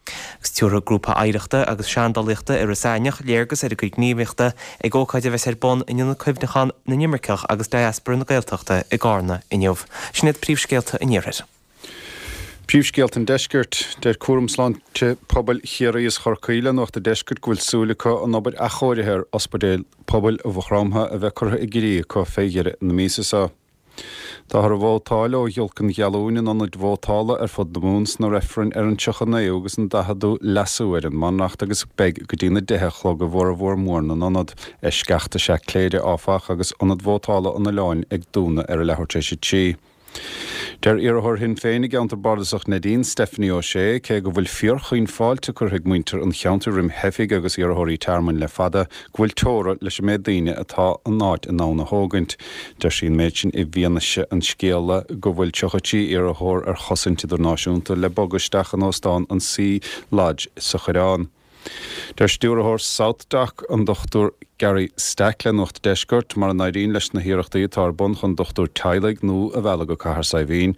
Agus tabharfaidh Grúpa Oidhreachta agus Seandálaíochta Iorras Aithneach léargas ar a gcuid gníomhaíochta ag ócáid a bheas ar bun in Ionad Cuimhneacháin na nImirceach agus Diaspora na Gaeltachta i gCarna inniu. Sin iad príomhscéalta an Iarthair. Príomhscéalta an Deiscirt, Deir Cúram Sláinte Pobail Chiarraí is Chorcaí le Nuacht an Deiscirt go bhfuil súil acu an obair athchóirithe ar Ospidéal Pobail Mhaigh Chromtha a bheith curtha i gcrích acu fé dheireadh na míosa seo. Táthar ag vótáil ó ghiolc an ghealúin in ionaid vótála ar fud na Mumhan sna reifrinn ar an tríocha naoú agus an daicheadú leasú ar an mBunreacht agus beidh go dtí na deich a chlog i bhformhór mór na n-ionad. Eisceacht is ea Cléire, áfach, agus ionad vótála an oileáin ag dúnadh ar a leathuair tar éis a trí. Deir iarrthóir Shinn Féin i gceantar bardasach Neidín, Stephanie O'Shea, cé go bhfuil fíorchaoin fáilte curtha ag muintir an cheantair roimh theifigh agus iarrthóirí tearmainn le fada, go bhfuil teora leis an méid daoine atá an áit in ann a thógaint. Deir sí an méid sin i bhfianaise an scéala go bhfuil tríocha trí iarrthóir ar chosaint idirnáisiúnta le bogadh isteach in óstán an Sea Lodge sa Choireán. Deir stiúrthóir SouthDoc an Dochtúir Gary Stack le Nuacht an Deiscirt mura n-éiríonn leis na hiarrachtaí atá ar bun chun dochtúir teaghlaigh nua a mhealladh go Cathair Saidhbhín.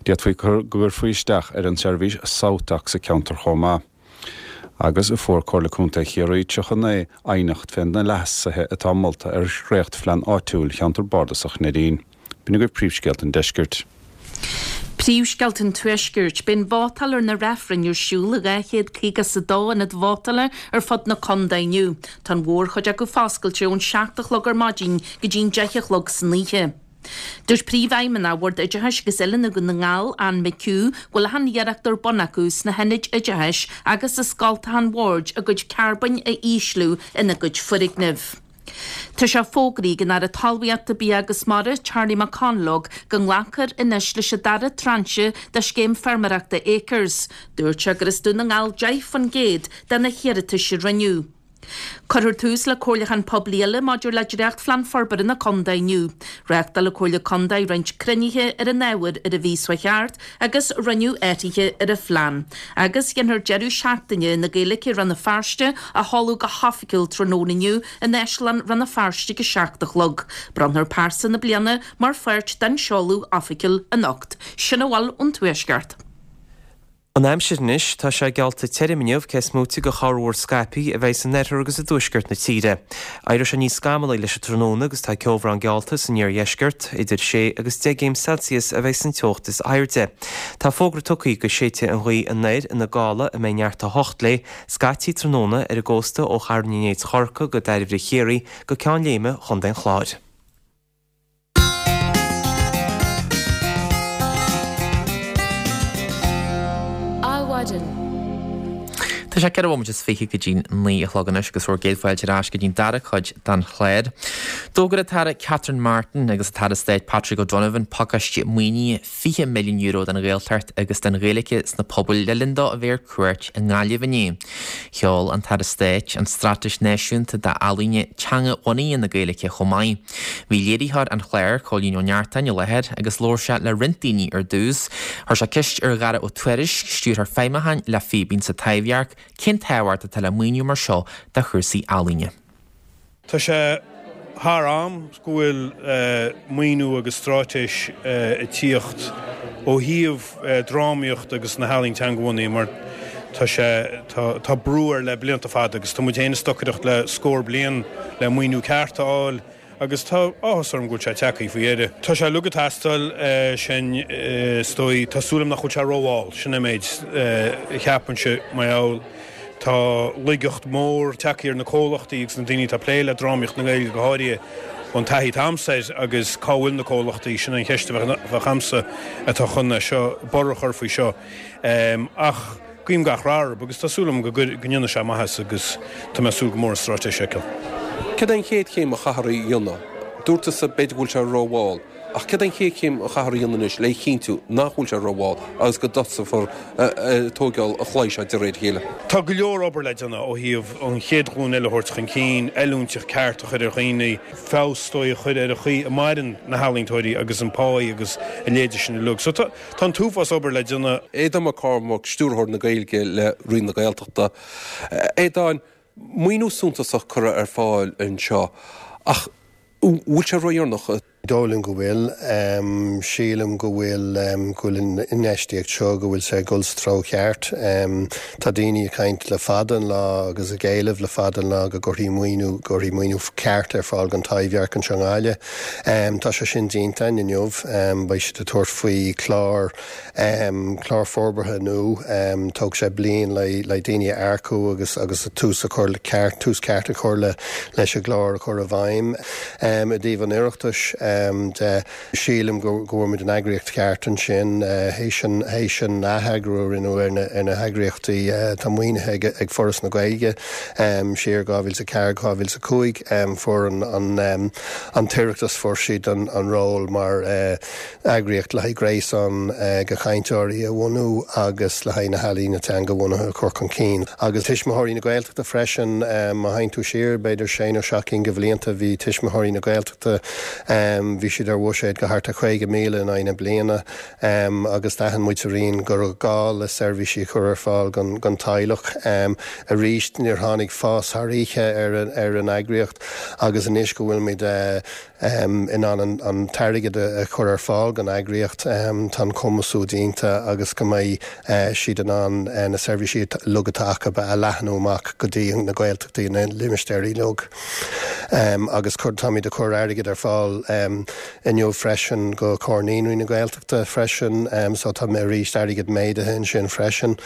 D'fhéadfaí go gcuirfí isteach ar an tseirbhís SouthDoc sa cheantar chomh maith. Agus fuair Comhairle Contae Chiarraí tríocha naoi aighneacht fé na leasuithe atá molta ar dhréachtphlean áitiúil Cheantar Bardasach Neidín. B'in agaibh príomhscéalta an deiscirt. Príomhscéalta an Tuaiscirt, Beidh an vótáil ar na reifrinn ar siúl i dhá chéad caoga is a dó ionad vótála ar fud na contae inniu. Tá an mhórchuid acu foscailte ón seacht a chlog ar maidin go dtí'n deich a chlog san oíche. Dúirt Príomhfheidhmeannach Bhord Oideachais agus Oiliúna Dhún na nGall, Anne McHugh, go bhfuil achan iarracht ar bun acu sna hionaid oideachais agus i scoltacha an bhoird a gcuid carbóin a ísliú ina gcuid foirgneamh. Tá sé fógraithe ag an Aire Talmhaíochta, Bia agus Mara, Charlie McConalogue, go nglacfar anois leis an dara tráinse de scéim feirmeoireachta Acres. Dúirt sé gur as Dún na nGall deich faoin gcéad de na hiarratais a rinneadh. Cuirfear tús le comhairliúchán poiblí eile maidir le dréachtphlean forbartha na contae inniu. Reáchtáil an Chomhairle Contae roinnt cruinnithe ar an ábhar ar an mhí seo thart agus rinneadh athruithe ar an phlean. Agus déanfar deireadh seachtaine na Gaeilge i Rann na Feirste a sheoladh go hoifigiúil tráthnóna inniu in Áislann Rann na Feirste ag a seacht a chlog. Bronnfar Pearsa na Bliana mar pháirt den seoladh oifigiúil anocht. Sin a bhfuil ón Tuaisceart. An aimsir anois, tá sé geallta tirim inniu, cé is móite de chorrmhúr scaipthe a bheidh san oirthear agus i dtuaisceart na tíre. Éireoidh sé níos scamallaí leis an tráthnóna agus tá ceobhrán geallta san iardheisceart, idir sé agus deich gcéim Celsius a bheidh san teocht is airde. Tá fógra tugtha go séidfidh an ghaoth anoir ina gála a mbeidh neart a hocht léi, scaití tráthnóna ar an gcósta ó Charn an Néid Chorcaí go Dairbhre Chiarraí go Ceann Léime Chontae an Chláir. Adhmhaidin. Tá sé ceithre bhomaite is fiche go dtí naoi a chlog anois agus bhur gcéad fáilte ar ais go dtí'n dara cuid den chlár. D'fhógair an tAire Catherine Martin agus an tAire Stáit Patrick O'Donovan pacáiste maoinithe fiche milliún euro don Ghaeltacht agus don Ghaeilge sna pobail le linn dó a bheith ar cuairt i nGaillimh inné. Sheol an tAire Stáit an Straitéis Náisiúnta d'Ealaíona Teanga-bhunaithe na Gaeilge chomh maith. Bhí léiritheoir an chláir, Cóilín Ó Neachtain, i láthair agus labhair sé le roinnt daoine ar dtús. Chuir sé ceist ar Dhara Ó Tuairisg, stiúrthóir feidhmiúcháin le Fíbín sa Taibhdhearc, cén tábhacht atá le maoiniú mar seo do chúrsaí ealaíne. Tá sé thar am go bhfuil maoiniú agus straitéis ag tíocht ó thaobh drámaíocht agus na healaíon teangabhunaithe mar tá sé, tá brú air le blianta fada agus tá muid féin ag stocaireacht le scór bliain le maoiniú ceart a fháil agus tá áthas orm go bhfuil sé tagtha faoi dheireadh. Tá sé uilig ag teastáil sin is dóigh, tá súil agam nach bhfuil sé rómhall, sin an méid a cheapainnse mar gheall tá laigeacht mhór tagtha ar na comhlachtaí agus na daoine atá ag plé le drámaíocht na Gaeilge go háirithe ón taithí atá a'msa air agus cá bhfuil na comhlachtaí, sin an cheist a bheadh a'msa atá chun é seo, borradh a chur faoi seo. Ach guím gach rath orthu agus tá súil agam go ndéanfaidh sé maitheas agus tá mé ag súil go mór an straitéis a fheiceáil. Céard é an chéad chéim a chaithfear a dhéanamh? Dúirt tusa b'fhéidir go bhfuil sé rómhall, ach céard é an chéad chéim a chaithfear a dhéanamh anois le chinntiú nach bhfuil sé rómhall agus go dtosófar ag tóigeáil an chlaí seo de réir a chéile? Tá go leor obair le déanamh ó thaobh an chéad ghlúin eile a thabhairt chun cinn, oiliúint ceart a chur ar dhaoine, feabhas is dóigh a chur ar an chaoi a maireann na healaíontóirí agus an pá agus a leithéide sin uilig. So tá an t-uafás obair le déanamh. Aodán Mac Cormaic, Stiúrthóir na Gaeilge le Roinn na Gaeltachta. Aodáin, maoiniú suntasach curtha ar fáil anseo ach an bhfuil sé ródheireanach? Dóigh liom go bhfuil. Sílim go bhfuil go bhfuil an infheistíocht seo, go bhfuil sé ag dul sa treo cheart. Tá daoine ag caint le fada an lá agus ag éileamh le fada an lá go gcuirfí maoiniú, go gcuirfí maoiniú ceart ar fáil don Taibhdhearc anseo i nGaillimh. Tá sé sin déanta againn inniu. Beidh siad ag tabhairt faoi chlár, clár forbartha nua. Tógfaidh sé bliain le le daoine a earcú agus agus tús a chur le ceart, tús ceart a chur le leis an gclár a chur i bhfeidhm. I dtaobh an Oireachtais, de, sílim go bhfuair muid an eagraíocht cheart ansin théis an théis an atheagrú a rinneadh ar na ar na heagraíochtaí atá maoinithe ag Foras na Gaeilge siar dhá mhíle is a ceathair, dhá mhíle is a cúig. Fuair an an an tOireachtas fuair siad an an ról mar eagraíocht le haghaidh gréasán de chainteoirí a bhunú agus le haghaidh na healaíona teanga-bhunaithe a chur chun cinn. Agus Tuismitheoirí na Gaeltachta freisin, má théann tú siar b'fhéidir sé nó seacht gcinn de bhlianta bhí Tuismitheoirí na Gaeltachta Bhí siad ar bhuiséad go thart ar chaoga míle in aghaidh na bliana agus d'aithin muid sa Roinn go raibh gá le seirbhísí a chur ar fáil don teaghlach. Arís níor tháinig fás thar oíche ar an eagraíocht agus anois go bhfuilimid in ann an t-airgead a chur ar fáil don eagraíocht, tá an cumasú déanta agus go mbeidh siad in ann na seirbhísí uilig atá acu a leathnú amach go dtí na Gaeltachtaí, na limistéir uilig. Agus táimid ag cur airgead ar fáil inniu freisin go Comhar Naíonraí na Gaeltachta freisin, so tá arís airgead méadaithe ansin freisin.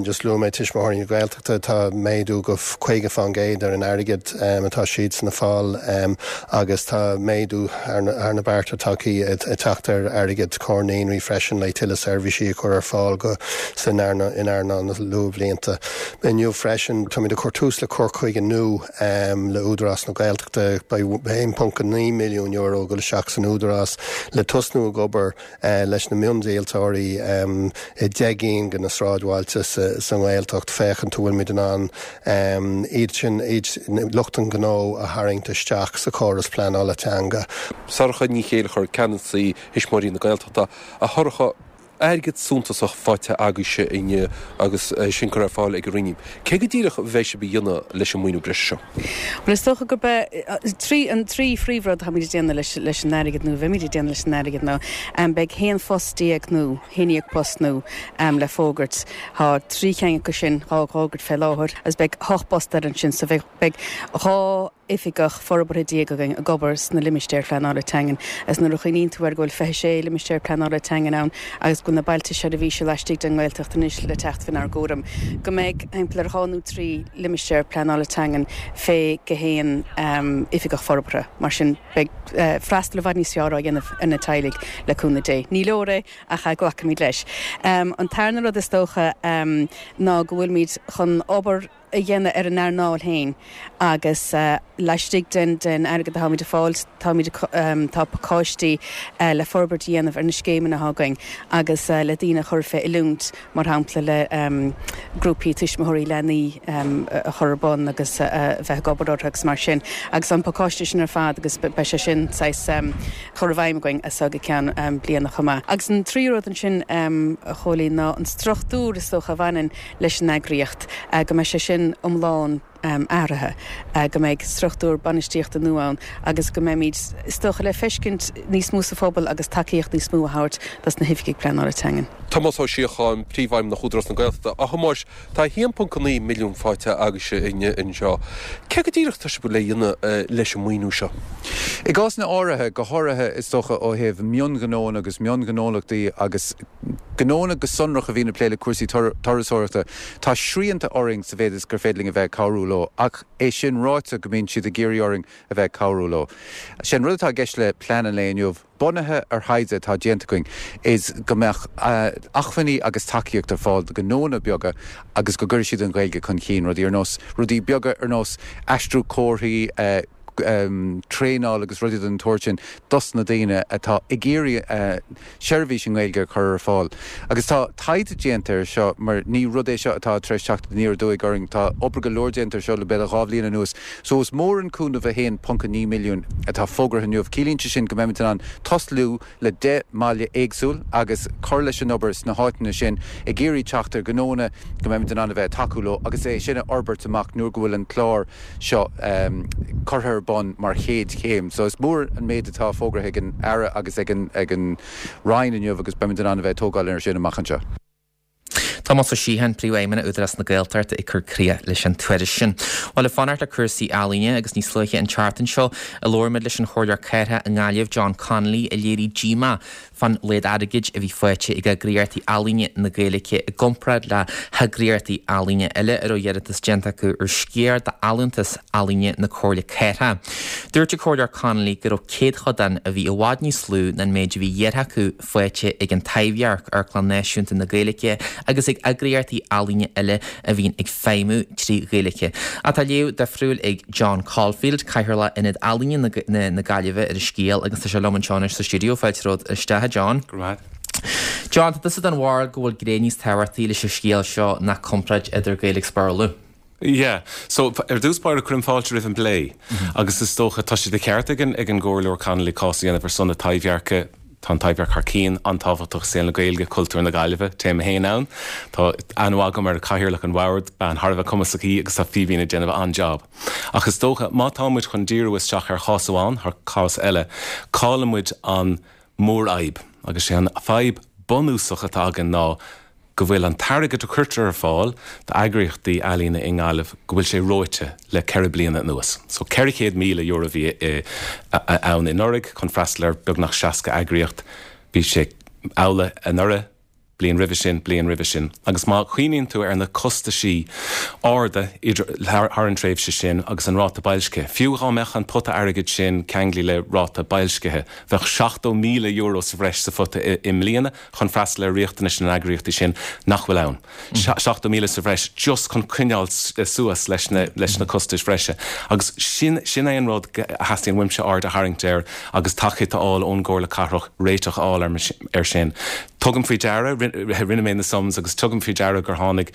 Just luaigh mé Tuismitheoirí na Gaeltachta, tá méadú go caoga fán gcéad ar an airgead atá siadsan ag fáil agus tá méadú thar na bearta tagtha ag teacht ar airgead Comhar Naíonraí freisin le tuilleadh seirbhísí a chur ar fáil go san in earnáil na luathbhlianta. Inniu freisin táimid ag cur tús le cur chuige nua le Údarás na Gaeltachta. Beidh a haon ponc naoi milliún euro ag dul isteach san Údarás le tosnú ag obair leis na miondíoltóirí i deich gcinn de na sráidbhailte sa nGaeltacht féachaint an bhfuilimid in ann iad sin, lucht an ghnó a tharraingt isteach sa chóras pleanála teanga. Sorcha Ní Chéilleachair, Ceannasaí Thuismitheoirí na Gaeltachta, a Shorcha, airgead suntasach faighte agaibhse inniu agus é sin curtha ar fáil ag an Roinn. Cé go díreach a bheidh sibh a dhéanamh leis an maoiniú breise seo? Bhuel, is dócha gurb é trí, an trí phríomhrud atáimid ag déanamh leis, leis an airgead nó a bheimid ag déanamh leis an airgead ná beidh haon phost déag nua, haon dhéag post nua le fógairt. Tá trí cheann acu sin dhá bhfógairt fé láthair agus beidh ocht bpost eile ansin so bheidh, beidh dhá oifigeach forbartha déag againn ag obair sna limistéir phleanála teangan agus nuair a chuimhníonn tú air go bhfuil fiche sé limistéar pleanála teangan ann agus go bhfuil na bailte seirbhíse laistigh den nGaeltacht anois le teacht faoinár gcúram, go mbeidh thimpeall ar dhá nó trí limistéar pleanála teangan fé go haon oifigeach forbartha. Mar sin, beidh freastal i bhfad níos fearr á dhéanamh ar na teaghlaigh le cúnamh Dé. Ní leor é ach glacfaimid leis. An tarna rud is dócha ná go bhfuilimid chun obair a dhéanamh ar an earnáil féin agus laistigh den den airgead atáimid ag fáil táimid tá pacáistí le forbairt a dhéanamh ar na scéimeanna atá againn agus le daoine a chur fé oiliúint mar shampla le grúpaí tuismitheoirí leanaí a chur ar bun agus a bheith ag obair orthu agus mar sin agus an pacáiste sin ar fad agus beidh sé sin saghas chur i bhfeidhm againn as seo go ceann bliana chomh maith. Agus an tríú rud ansin a Chóilín ná an struchtúr is dócha a bhaineann leis an eagraíocht go mbeidh sé sin iomlán athraithe, go mbeidh struchtúr bainistíochta nua ann agus go mbeimid, is dócha, le feiscint níos mó sa phobal agus tacaíocht níos mó a thabhairt dos na hoifigigh pleanála teangan. Tomás Ó Síocháin, Príomhfheidhmeannach Údarás na Gaeltachta, A Thomáis, tá a haon ponc naoi milliún faighte agaibhse inniu anseo. Cé go díreach atá sibh le dhéanamh leis an maoiniú seo? I gcásanna áirithe, go háirithe is dócha ó thaobh mionghnónna agus mionghnólachtaí agus gnónna go sonrach a bhíonn ag plé le cúrsaí turasóireachta, tá srianta orainn sa mhéid is gur féidir linn a bheith ag cabhrú leo, ach é sin ráite go mbíonn siad ag iarraidh orainn a bheith ag cabhrú leo. Sé an rud atá i gceist le plean an lae inniu, bunaithe ar thaighde atá déanta againn, is go mbeadh acmhainní agus tacaíocht ar fáil do ghnónna beaga agus go gcuirfidh siad an Ghaeilge chun cinn, rudaí ar nós, rudaí beaga ar nós aistriú comharthaí, traenáil agus rudaí den tsórt sin dos na daoine atá ag iarraidh seirbhís i nGaeilge a chur ar fáil. Agus tá taighde déanta air seo mar ní rud é seo atá tar éis teacht aniar aduaidh orainn, tá obair go leor déanta air seo le b'fhéidir dhá bhliain anuas. So is mór an cúnamh a haon ponc a naoi milliún atá fógartha inniu. Ciallaíonn sé sin go mbeimid in ann tosnú le deich mbaile éagsúil agus cur leis an obair sna háiteanna sin ag iarraidh teacht ar ghnónna go mbeimid in ann a bheith ag tacú leo agus é sin a fhorbairt amach nuair go bhfuil an clár seo curtha ar bun mar chéad chéim. So is mór an méid atá fógartha ag an Aire agus ag an ag an Roinn inniu agus beimid in ann a bheith ag tógáil air sin amach anseo. Tomás Ó Síocháin, Príomhfheidhmeannach Údarás na Gaeltachta ag cur críoch leis an tuairisc sin. Bhuel, ag fanacht le cúrsaí ealaíne agus níos luaithe an tseachtain seo a labhair muid leis an Chomhairleoir Cathrach i nGaillimh, John Connolly, a léirigh díomá fán laghad airgid a bhí faighte ag eagraíochtaí ealaíne na Gaeilge i gcomparáid le heagraíochtaí ealaíne eile a raibh iarratas déanta acu ar sciar d'allúntas ealaíne na Comhairle Cathrach. Dúirt an Comhairleoir Connolly go raibh céadchodán a bhí i bhfad níos lú ná an méid a bhí iarrtha acu faighte ag an Taibhdhearc, Amharclann Náisiúnta na Gaeilge, agus ag eagraíochtaí ealaíne eile a bhíonn ag feidhmiú trí Ghaeilge. Ach tá léamh difriúil ag John Caulfield, Cathaoirleach Ionad Ealaíne na Gaillimhe ar an scéal agus tá sé liom anseo anois sa stiúideo. Fáilte romhat isteach, a John. Go raibh maith. John, tá tusa den bharúil go bhfuil gné níos tábhachtaí leis an scéal seo ná comparáid idir Gaeilge agus Béarla. Yeah, so ar dtús báire cuirim fáilte roimh an bplé agus is dócha tá sé de cheart ag an ag an gComhairleoir Connolly cás a dhéanamh ar son na Taibhdheirce. Tá an Taibhdhearc thar cionn an-tábhachtach i saol na Gaeilge, cultúr na Gaillimhe, téim féin ann. Tá aithne agam ar Chathaoirleach an Bhoird, bean thar a bheith cumasach í agus tá Fíbín ag déanamh an-jab. Ach is dócha má tá muid chun díriú isteach ar chás amháin thar cás eile, cailleann muid an mhórfhadhb. Agus sé an fadhb bunúsach atá againn ná go bhfuil an t-airgead a cuirtear ar fáil d'eagraíochtaí ealaíne i nGaillimh, go bhfuil sé reoite le ceithre bliana anuas. So ceithre chéad míle euro a bhí ann anuraidh chun freastal ar beagnach seasca eagraíocht. Bhí sé amhlaidh anuraidh, bliain roimhe sin, bliain roimhe sin. Agus má chuimhníonn tú ar na costaisí arda thar an tréimhse sin agus an ráta boilscithe, fiú dhá mbeadh an pota airgid sin ceanglaithe le ráta boilscithe, bheadh seachtó míle euro sa bhreis sa phota i mbliana chun freastal ar riachtanais na n-eagraíochtaí sin nach bhfuil ann. Seachtó míle sa bhreis just chun coinneáil suas leis na leis na costais bhreise. Agus sin sin é an rud a theastaíonn uaimse aird a tharraingt air agus tacaíocht a fháil ón gComhairle Cathrach réiteach a fháil ar sin. Tugaim faoi deara, rinne mé na sums agus tugaim faoi deara gur tháinig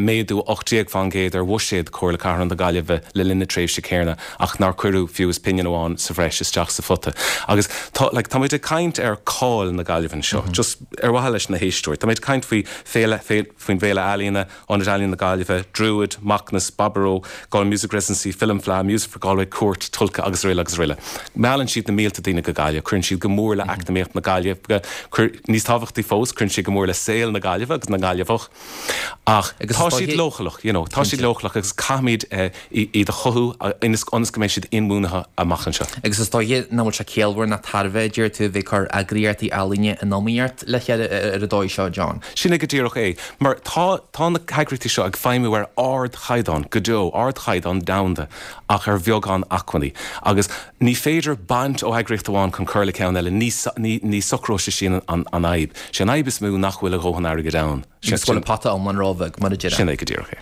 méadú ocht déag faoin gcéad ar bhuiséad Chomhairle Cathrach na Gaillimhe le linn na tréimhse céanna ach nár cuireadh fiú is pingin amháin sa bhreis isteach sa phota. Agus tá, like, tá muid ag caint ar cáil na Gaillimhe anseo, just ar mhaithe leis na héisteoirí. Tá muid ag caint faoi féile, faoin bhFéile Ealaíona, Ionad Ealaíon na Gaillimhe, Druid, Macnas, Baboró, Galway Music Residency, Film Fleadh, Music for Galway, Cúirt, Tulca agus araile agus araile. Meallann siad na mílte daoine go Gaillimh, cuireann siad go mór le eacnamaíocht na Gaillimhe, níos tábhachtaí fós, cuireann siad go mór le saol na Gaillimhe agus na nGaillimheach. Ach tá siad leochaileach, you know, tá siad leochaileach agus caithfimid iad a chothú ionas go mbeidh siad inbhuanaithe amach anseo. Agus is dóiche nach bhfuil sé ciallmhar ná tairbhe, a deir tú, a bheith ag cur eagraíochtaí ealaíne in iomaíocht le chéile ar an dóigh seo, John. Sin é go díreach é. Mar tá tá na heagraíochtaí seo ag feidhmiú ar ardchaighdeán go deo, ardchaighdeán domhanda, ach ar bheagán acmhainní. Agus ní féidir baint ó eagraíocht amháin chun cur le ceann eile, ní ní socróidh sé sin an fhadhb. Sé an fhadhb is mó nach bhfuil a dhóthain airgid ann. Agus go bhfuil an pota iomlán róbheag, mar a déarfá. Sin é go díreach é.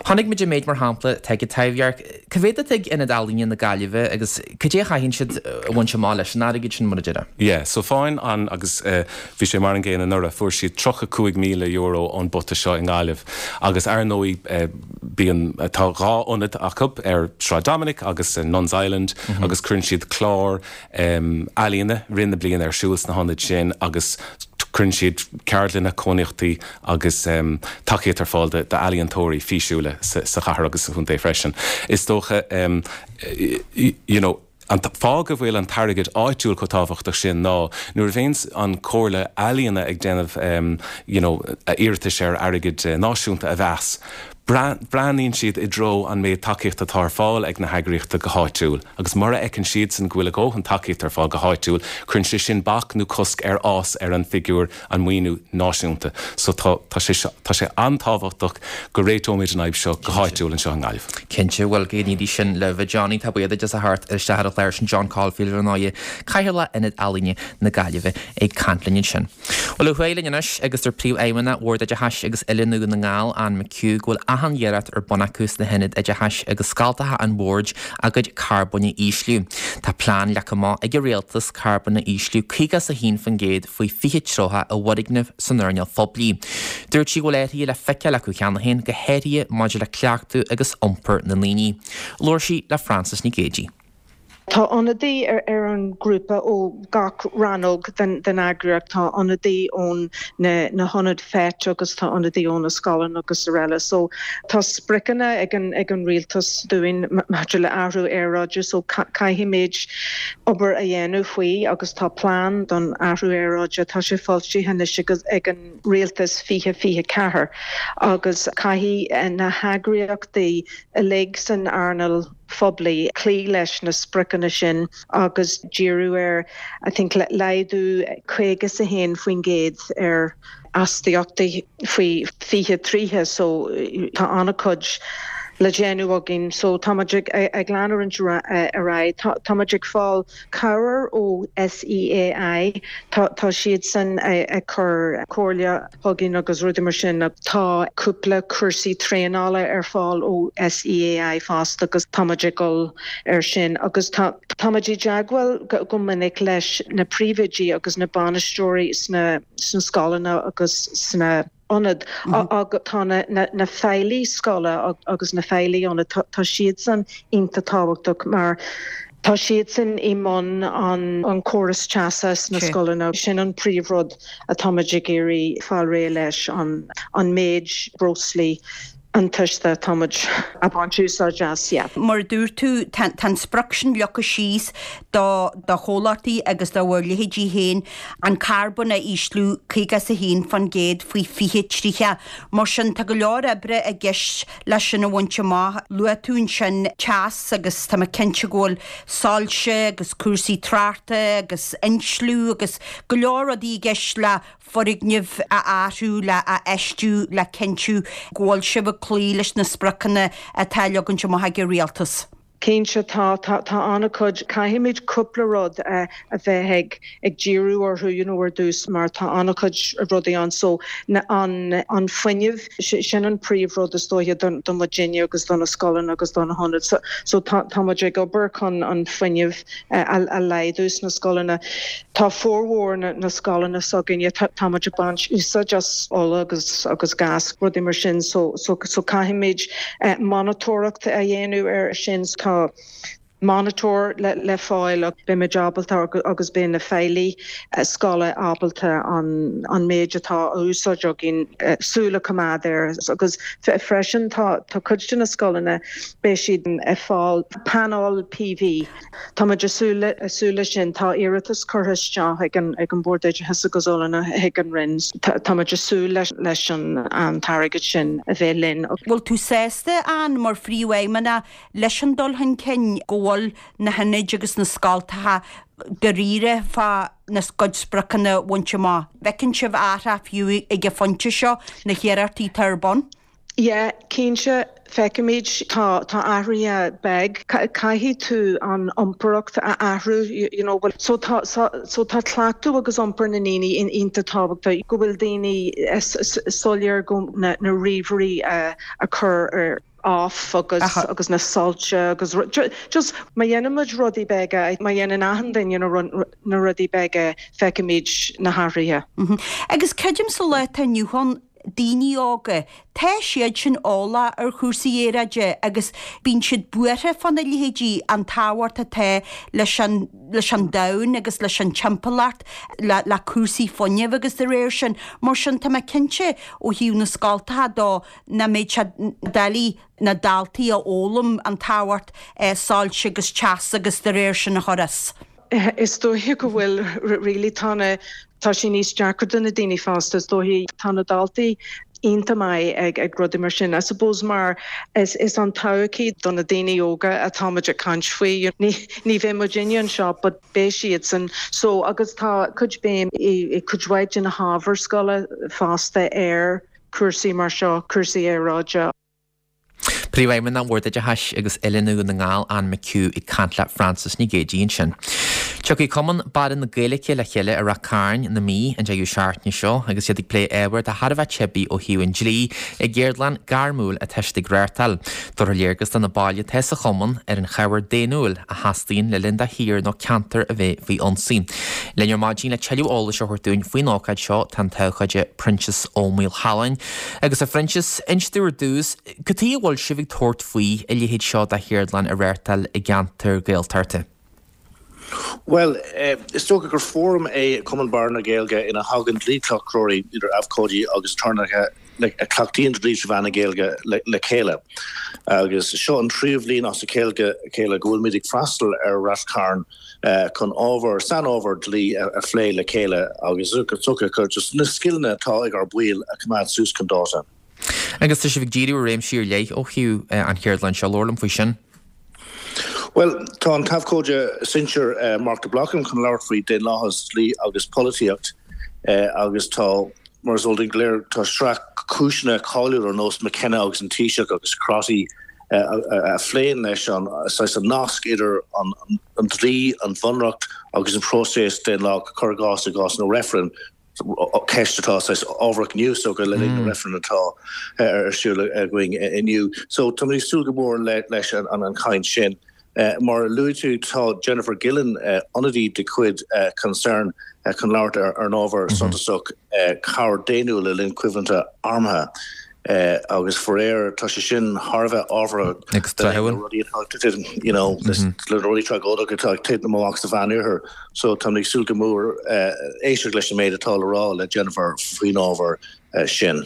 Chonaic muid an méid, mar shampla, atá ag an Taibhdhearc. Cá mhéad atá ag Ionad Ealaíne na Gaillimhe agus cad é a chaitheann siad a bhaint amach leis an airgead sin, mar a déarfá? Yeah, so faigheann an, agus bhí sé mar an gcéanna anuraidh, fuair siad tríocha cúig míle euro ón bpota seo i nGaillimh agus ar ndóigh bíonn, tá dhá ionad acu ar Sráid Dominic agus Nuns Island agus cuireann siad clár ealaíona i rith na bliana ar siúl sna hionaid sin agus cuireann siad ceardlanna, cónaíochtaí agus tacaíocht ar fáil d'ealaíontóirí físiúla sa chathair agus sa chontae freisin. Is dócha you know an fáth go bhfuil an t-airgead áitiúil chomh tábhachtach sin ná nuair a bhíonns an Chomhairle Ealaíona ag déanamh you know iarratais ar airgead náisiúnta a mheas, breathnaíonn siad i dtreo an méid tacaíochta atá ar fáil ag na heagraíochtaí go háitiúil agus mura fheiceann siadsan go bhfuil a dhóthain tacaíochta ar fáil go háitiúil, cuireann sé sin bac nó cosc ar fhás ar an bhfigiúr, an maoiniú náisiúnta. So tá, tá sé, tá sé an-tábhachtach go réiteoimid an fhadhb seo go háitiúil anseo i nGaillimh. Cinnte, bhuel, go n-éirí sin libh, a Johnny, tá buíochas duit as a theacht isteach ar an chlár sin John Caulfield ar ndóigh, Cathaoirleach Ionad Ealaíne na Gaillimhe ag caint linn ansin. Bhuel, ó thuaidh linn anois agus deir Príomhfheidhmeannach Bhord Oideachais agus Oiliúna Dhún na nGall, Anne McHugh, go bhfuil achan iarracht ar bun acu sna hionaid oideachais agus scoltacha an Bhoird a gcuid carbóin a ísliú. Tá plean leagtha amach ag an Rialtas carbón a ísliú caoga is a haon faoin gcéad faoi fiche tríocha i bhfoirgnimh san earnáil phoiblí. Dúirt sí go bhfuil athruithe le feiceáil acu cheana féin, go háirithe maidir le cleachtadh agus iompar na ndaoine. Labhair sí le Frances Nic Géadaigh. Tá ionadaí ar an ngrúpa ó gach rannóg den eagraíocht, tá ionadaí ón na hionaid FET agus tá ionadaí ó na scoileanna agus araile. So tá spriocanna ag an ag an rialtas dúinn maidir le athrú aeráide so caithfimid obair a dhéanamh faoi agus tá plean don athrú aeráide, tá sé foilsithe anois ag an rialtas fiche fiche ceathair agus caithfidh na heagraíochtaí uilig san earnáil phoiblí cloí leis na spriocanna sin agus díriú ar I think laghdú caoga is a haon faoin gcéad ar astaíochtaí faoi fiche tríocha so tá an-chuid le déanamh againn so táimid ag ag leanúint ar aghaidh. Táimid ag fáil cabhair ó SEAI, tá tá siadsan ag cur comhairle chugainn agus rudaí mar sin. Tá cúpla cúrsaí traenála ar fáil ó SEAI fosta agus táimid ag dul ar sin agus tá táimid i dteagmháil go minic leis na príomhoidí agus na bainisteoirí sna sna scoileanna agus sna ionad agus tá na feighlí scoile agus na feighlí ionad tá siadsan iontach tábhachtach mar tá siadsan i mbun an córas teasa sna scoileanna. Sin an príomhrud atáimid ag iarraidh fáil réidh leis an méid breoslaí iontaise atáimid ag baint úsáid as, yeah. Mar a dúirt tú, tá an sprioc sin leagtha síos do do chomhlachtaí agus do bhur leithéidí féin an carbón a ísliú caoga is a haon faoin gcéad faoi fiche tríocha. Mar sin, tá go leor oibre i gceist leis sin a bhaint amach. Luaigh tú ansin teas agus tá mé cinnte go bhfuil soilse agus cúrsaí tráchta agus insliú agus go leor rudaí i gceist le foirgnimh a athrú, le a fheistiú, le cinntiú go bhfuil sibh ag cloí leis na spriocanna atá leagtha amach ag an rialtas. Cinnte tá, tá, tá an-chuid, caithfimid cúpla rud a bheith ag, ag díriú orthu you know ar dtús mar tá an-chuid rudaí ann so na, an, an fuinneamh, sin an príomhrud is dóiche do, do muidinne agus do na scoileanna agus do na hionaid. So, so tá, tá muid ag obair chun an fuinneamh a, a laghdú sna scoileanna. Tá formhór na, na scoileanna s'againne, tá, tá muid ag baint úsáid as ola agus, agus gas, rudaí mar sin so, so, so caithfimid eh, monatóireacht a dhéanamh ar sin. Tá monatóir le, le fáil ach beimid ábalta agus beidh na feighlí eh, scoile ábalta an, an méid atá á úsáid againn eh, súil a choimeád air agus freisin tá, tá cuid de na scoileanna beidh siad ag fáil painéil PV. Tá muid ag súil ag súil leis sin tá iarratas curtha isteach ag an ag an Bord Oideachais agus Oiliúna ag an Roinn. Tá muid ag súil leis leis an an t-airgead sin a bheith linn. Bhfuil tú sásta ann mar phríomhfheidhmeannach leis an dul chun cinn go bhfuil na hionaid agus na scoltacha dáiríre fá na gcuid spriocanna a bhaint amach. Bhfeiceann sibh athrú fiú ag an phointe seo na hiarrachtaí atá ar bun? Yeah, cinnte feicimid tá tá athruithe beag caithfidh tú an iompraíocht a athrú you know well so tá so, so tá cleachtadh agus iompar na ndaoine in iontach tábhachtach go bhfuil daoine soiléir go na, na ríomhairí a, a chur ar off agus agus na soilse agus just má dhéanaimid rudaí beaga má dhéanann achan duine na rudaí beaga feicimid na hathruithe. Agus creidim sa lá atá inniu ann daoine óga, tá siad sin eolach ar chúrsaí aeráide agus bíonn siad buartha fána leithéidí an tábhacht atá leis an leis an domhan agus leis an timpeallacht le le cúrsaí fuinnimh agus de réir sin. Mar sin tá mé cinnte ó thaobh na scoltacha dó nach mbeidh sé doiligh na daltaí a fhoghlaim an tábhacht soilse agus teas agus de réir sin a chur as. Is dóiche go bhfuil really tá na tá sé níos deacra do na daoine fásta is dóiche tá na daltaí iontach maith ag ag rudaí mar sin. I suppose mar is is an todhchaí do na daoine óga atáimid ag caint faoi ní ní bheidh muidinne anseo but beidh siadsan so agus tá cuid béim i i cuid mhaith de na hábhair scoile fosta ar cúrsaí mar seo, cúrsaí aeráide. Príomhfheidhmeannach Bhord Oideachais agus Oiliúna Dhún na nGall, Anne McHugh ag caint le Frances Ní Géidigh ansin. Tiocfaidh Cumann Barra na Gaeilge le chéile i Ráth Cairn na Mí an deireadh seachtaine seo agus iad ag plé ábhar atá thar a bheith teibí ó thaobh an dlí i gceardlann gairmiúil atá siad ag reáchtáil. Tabharfar léargas do na baill atá sa chumann ar an chabhair daonnúil a theastaíonn le linn do thír nó ceantar a bheith faoi ionsaí. Linn ar maidin le tuilleadh eolais a thabhairt dúinn faoin ócáid seo tá an t-abhcóide Proinsias Ó Maolchalláin. Agus a Phroinsias, inis dúinn ar dtús, cad chuige a bhfuil sibh ag tabhairt faoi a leithéid seo de cheardlann a reáchtáil i gceantar Gaeltachta? Well, is dócha gur fóram é Cumann Barra na Gaeilge ina thagann dlíchleachtóirí idir abhcóidí agus aturnaetha a chleachtaíonn dlí trí mheán na Gaeilge le chéile. Agus seo an tríú bhliain as a chéile go bhfuilmid ag freastal ar Rath Cairn chun ábhar sainábhar dlí a phlé le chéile agus dócha just na scileanna atá ag ár baill a choimeád suas chun dáta. Agus tá sibh ag díriú ar réimsí ar leith ó thaobh an cheardlann seo, labhair liom faoi sin. Well, tá an t-abhcóide sinsir Mark de Blocam chun labhairt faoi daonlathas, dlí agus polaitíocht agus tá, mar is eol dúinn go léir, tá sraith cúiseanna cáiliúil ar nós McKenna agus an Taoiseach agus Crotty a phléann leis an saghas an nasc idir an dlí, an bhunreacht agus an próiseas daonlathach, cuir i gcás i gcás na reifreann. ceist atá saghas ábharach inniu so go le linn na reifreann atá ar siúl againn inniu. So táimid ag súil go mór leis an chaint sin. Mar a luaigh tú tá Jennifer Gillen, ionadaí de chuid Concern, chun labhairt ar an ábhar suntasach cabhair daonnúil le linn coimhlinte armtha. Agus faraor tá sé sin thar a bheith ábhartha le rudaí atá ag titim, you know, le rudaí tragóideacha atá ag titim amach sa Mheánoirthear. So táimid ag súil go mór éisteacht leis an méid atá le rá le Jennifer faoin ábhar sin.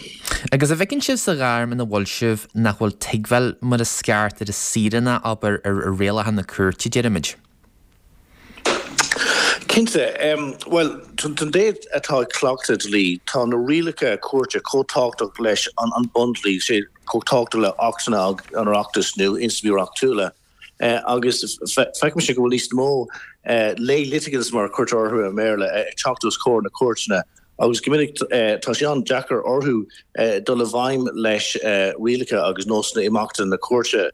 Agus an bhfeiceann sibh sa ghairm ina bhfuil sibh nach bhfuil tuigbheáil mar is ceart ar an saoránach, abair, ar rialacha na cúirte, deirimid? Cinnte. Bhuel, don té atá ag cleachtadh dlí, tá na rialacha cúirte chomh tábhachtach leis an bundlí, sé chomh tábhachtach le Achtanna an Oireachtais nó ionstraimí reachtúla. Agus feicimse go bhfuil níos mó lay litigants, mar a cuirtear orthu i mBéarla, ag teacht os comhair na cúirteanna agus go minic tá sé an-deacair orthu dul i bhfeidhm leis rialacha agus nósanna imeachta na cúirte.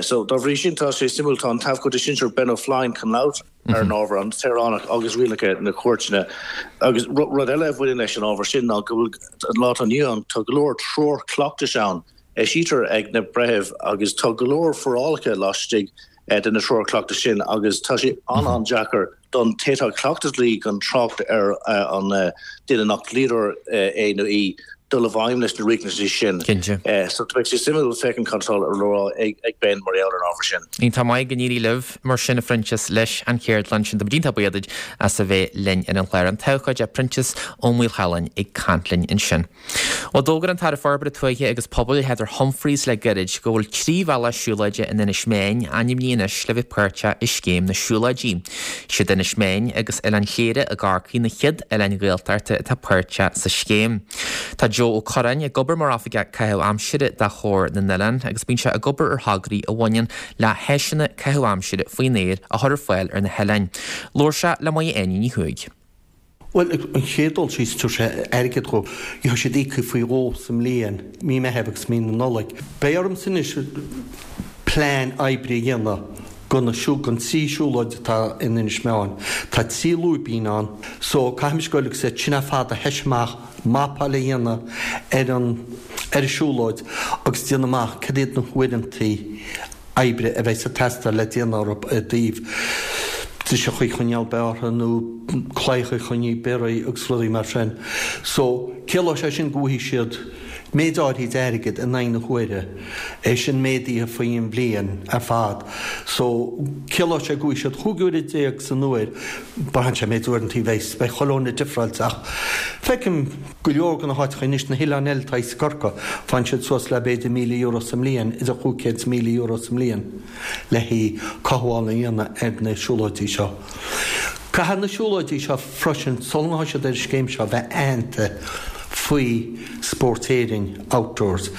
So dá bhrí sin tá sé suimiúil, tá an t-abhcóide sinsir Ben O'Flynn chun labhairt ar an ábhar, an saoránach agus rialacha na cúirteanna. Agus rud eile a bhaineann leis an ábhar sin ná go bhfuil, an lá atá inniu ann, tá go leor treoir cleachtais ann a eisítear ag na breithimh agus tá go leor forálacha laistigh de na treoir cleachtais sin agus tá sé an-an-deacair don té atá ag cleachtadh dlí, gan trácht ar an duine nach dlíodóir é nó í, dul i bhfeidhm leis na riachtanais sin. Cinnte. So beidh sé suimiúil féachaint cad atá le rá ag Ben mar gheall ar an ábhar sin. Iontach maith, go n-éirí libh mar sin a Phroinsias leis an cheardlann sin. Tá muid iontach buíoch duit as a bheith linn ar an chlár. An t-abhcóide Proinsias Ó Maolchalláin ag caint linn ansin. Bhuel, d'fhógair an tAire Forbartha Tuaithe agus Pobail Heather Humphreys le gairid go bhfuil trí bhealach siúlóide in Inis Meáin ainmnithe anois le bheith páirteach i Scéim na Siúlóidí. Siad Inis Meáin agus Oileán Chléire i gCorcaigh na chéad oileáin Ghaeltachta atá páirteach sa scéim. Tá Joe Ó Curráin ag obair mar Oifigeach Caitheamh Aimsire do Chomhar na nOileán agus bíonn sé ag obair ar thograí a bhaineann le háiseanna caitheamh aimsire faoin aer a chur ar fáil ar na hoileáin. Labhair sé le Máire Áine Ní Chuaig. Bhuel, an chéad dul síos, tabharfaidh sé airgead dhóibh. Gheobhaidh siad íoctha faoi dhó sa mbliain, mí Meitheamh agus mí na Nollag. Beidh ormsa anois plean oibre a dhéanamh do na don trí siúlóid atá in Inis Meáin. Tá trí lúibín ann so caithfimid goil agus iad sin ar fad a thoiseacht amach, mapáil a dhéanamh ar an ar an siúlóid agus déanamh amach cad iad na huaireantaí oibre a bheidh ag teastáil le déanamh orthu i dtaobh driseacha a choinneáil bearrtha nó claíocha a choinneáil bearrtha agus rudaí mar sin. So, ciallóidh sé sin go bhfaighidh siad méid áirithe d'airgead in aghaidh na huaire, é sin méadaithe faoi an bhliain ar fad. So, ciallóidh sé go bhfaighidh siad chúig uaire déag san uair, braitheann sé méid uaireanta a bheidh, beidh chuile dhuine difreáilte ach feicim go leor de na háiteacha anois, na hoileáin eile atá i gCorcaigh, faigheann siad suas le b'fhéidir míle euro sa mbliain, idir chúig chéad is míle euro sa mbliain. le haghaidh cothabháil a dhéanamh ar na siúlóidí seo. Caithfidh na siúlóidí seo freisin, sula ngabhfaidh siad ar an scéim seo, bheith aitheanta faoi Spórt Éireann Outdoors.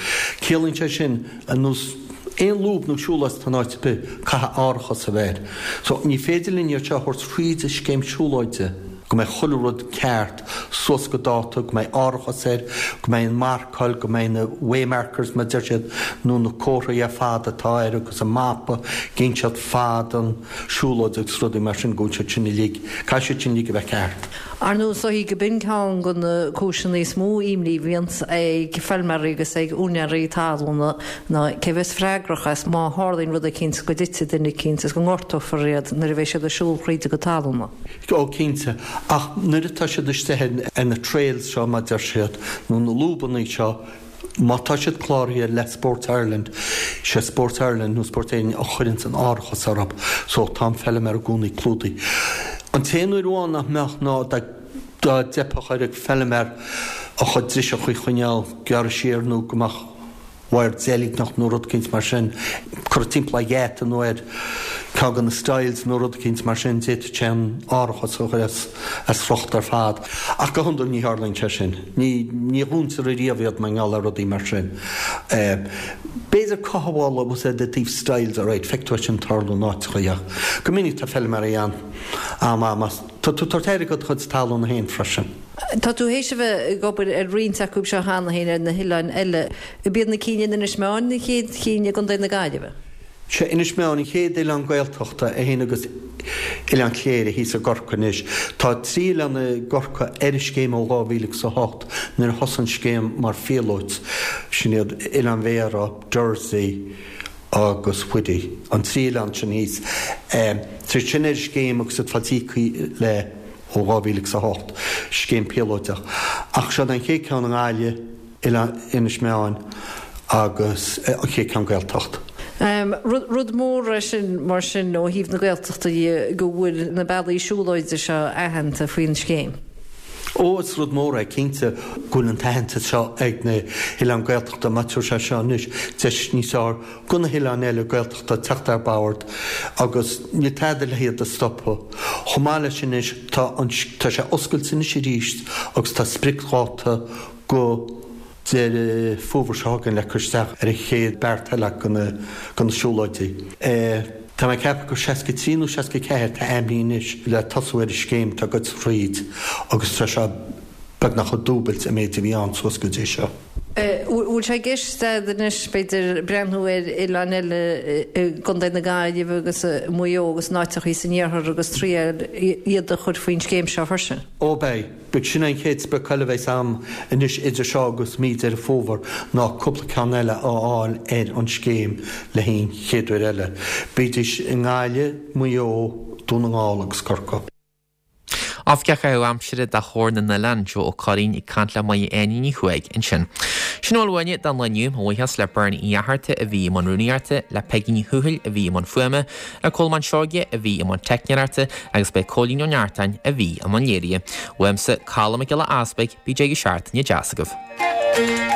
Ciallaíonn sé sin, ar nós aon lúb nó siúlóid atá in áit ar bith, caithfidh árachas a bheith air. So, ní féidir linn iad seo a thabhairt fríd an scéim siúlóide. go mbeidh chuile rud ceart, suas go dáta, go mbeidh árachas air, go mbeidh an marcáil, go mbeidh na waymarkers mar a deir siad, nó na comharthaí ar fad atá air agus an mapa, ag inseacht fad an siúlóid agus rudaí mar sin, go bhfuil siad sin uilig, caithfidh siad sin uilig a bheith ceart. Ar ndóigh, is dóichí go b'in ceann de na cúiseanna is mó imní a bhíonns ag feilméaraí agus ag úinéirí talúna ná cé bheas freagrach as má tharlaíonn rud eicínt, go dtitfidh duine eicínt is go ngortófar iad nuair a bheidh siad ag siúl thríd a gcuid talúna. Ó, cinnte. Ach nuair atá siad istigh ar na trails seo, mar a deir siad, nó na lúbanna seo, má tá siad cláraithe le Sport Ireland, sé Sport Ireland nó Sport Éireann a chuireanns an árachas orthu. So tá an feilméara i gcónaí clúdaithe. An t-aon uair amháin nach mbeadh ná dá dá dteipfeadh ar an feilméara a chuid driseacha a choinneáil gearrtha siar nó go mbeadh wire deilgneach nó rud eicínt mar sin curtha timpeall ar gheata nó ar ceann de na stiles nó rud eicínt mar sin, d'fhéadfadh sé an árachas a chur as as riocht ar fad. Ach go hiondúil ní tharlaíonn sé sin. Ní ní dhúntar ariamh iad mar gheall ar rudaí mar sin. B'fhéidir cothabháil a úsáid i dtaobh stiles alright, feictear é sin tarlú in áiteacha ach go minic tá feilméaraí ann am am as tá tú ag tabhairt aire do do chuid talún féin freisin. Tá tú théis a bheith ag obair ar roinnt acu seo cheana féin ar na hoileáin eile. Ab iad na cinn in Inis Meáin na chéad chinn i gContae na Gaillimhe? Sé Inis Meáin an chéad oileán Gaeltachta, é féin agus Oileán Chléire thíos i gCorcaigh anois. Tá trí oileán i gCorcaigh ar an scéim ó dhá mhíle agus a hocht nuair a thosaigh an scéim mar phíolót. Sin iad Oileán Bhéarra, Dursey agus Whiddy, an trí oileán sin thíos. Tá siad sin ar an scéim agus iad faighte íoctha le. ó dhá mhíle agus a hocht, scéim píolóideach. Ach seo an chéad ceann i nGaillimh, Oileán Inis Meáin agus an chéad ceann Gaeltacht. Rud mór é sin mar sin ó thaobh na Gaeltachta dhe go bhfuil na bealaí siúlóide seo aitheanta faoin scéim. Ó, is rud mór é cinnte go bhfuil an t-aitheantas seo ag na hoileáin Gaeltachta mar tabharfaidh sé seo anois deis níos fearr go na hoileáin eile Gaeltachta teacht ar bord agus níl tada le hiad a stopadh. Chomh maith leis anois tá an tá sé oscailte anois arís agus tá spriocdháta go Deireadh Fómhair seo chugainn le cur isteach ar an chéad beart eile go na go na siúlóidí. Tá mé ag ceapadh gur seasca trí nó seasca ceathair atá ainmnithe anois le tosú ar an scéim atá ag goil thríd agus tá sé beagnach ag dúbailt an méid a bhí ann suas go dtí seo. Bhfuil sé i gceist agat anois, b'fhéidir, breathnú ar oileáin eile i gContae na Gaillimhe agus i Maigh Eo agus in áiteachaí san iarthar agus triail iad a chur faoin scéim seo freisin? Ó beidh. Beidh sin an chéad sprioc eile a bheas agam anois idir seo agus mí Deireadh Fómhair ná cúpla ceann eile a fháil ar an scéim le haghaidh an chéad uair eile. Bídís i nGaillimh, Maigh Eo, Dún na nGall agus Corcaigh. Oifigeach Caitheamh Aimsire do Chomhar na nOileán, Joe Ó Curraoin ag caint le Máire Áine Ní Chuaig ansin. Sin a bhfuil uainne don lá inniu. Mo bhuíochas le Bernie Uí Fhatharta a bhí i mbun rúnaíochta, le Peigí Ní Thuathail a bhí i mbun fuaime, le Colmán Seoige a bhí i mbun teicneoireachta agus b'é Cóilín Ó Neartáin a bhí i mbun léirithe. Uaimse, Colm Mac Giolla Easpaig, bíodh deireadh seachtaine deas agaibh.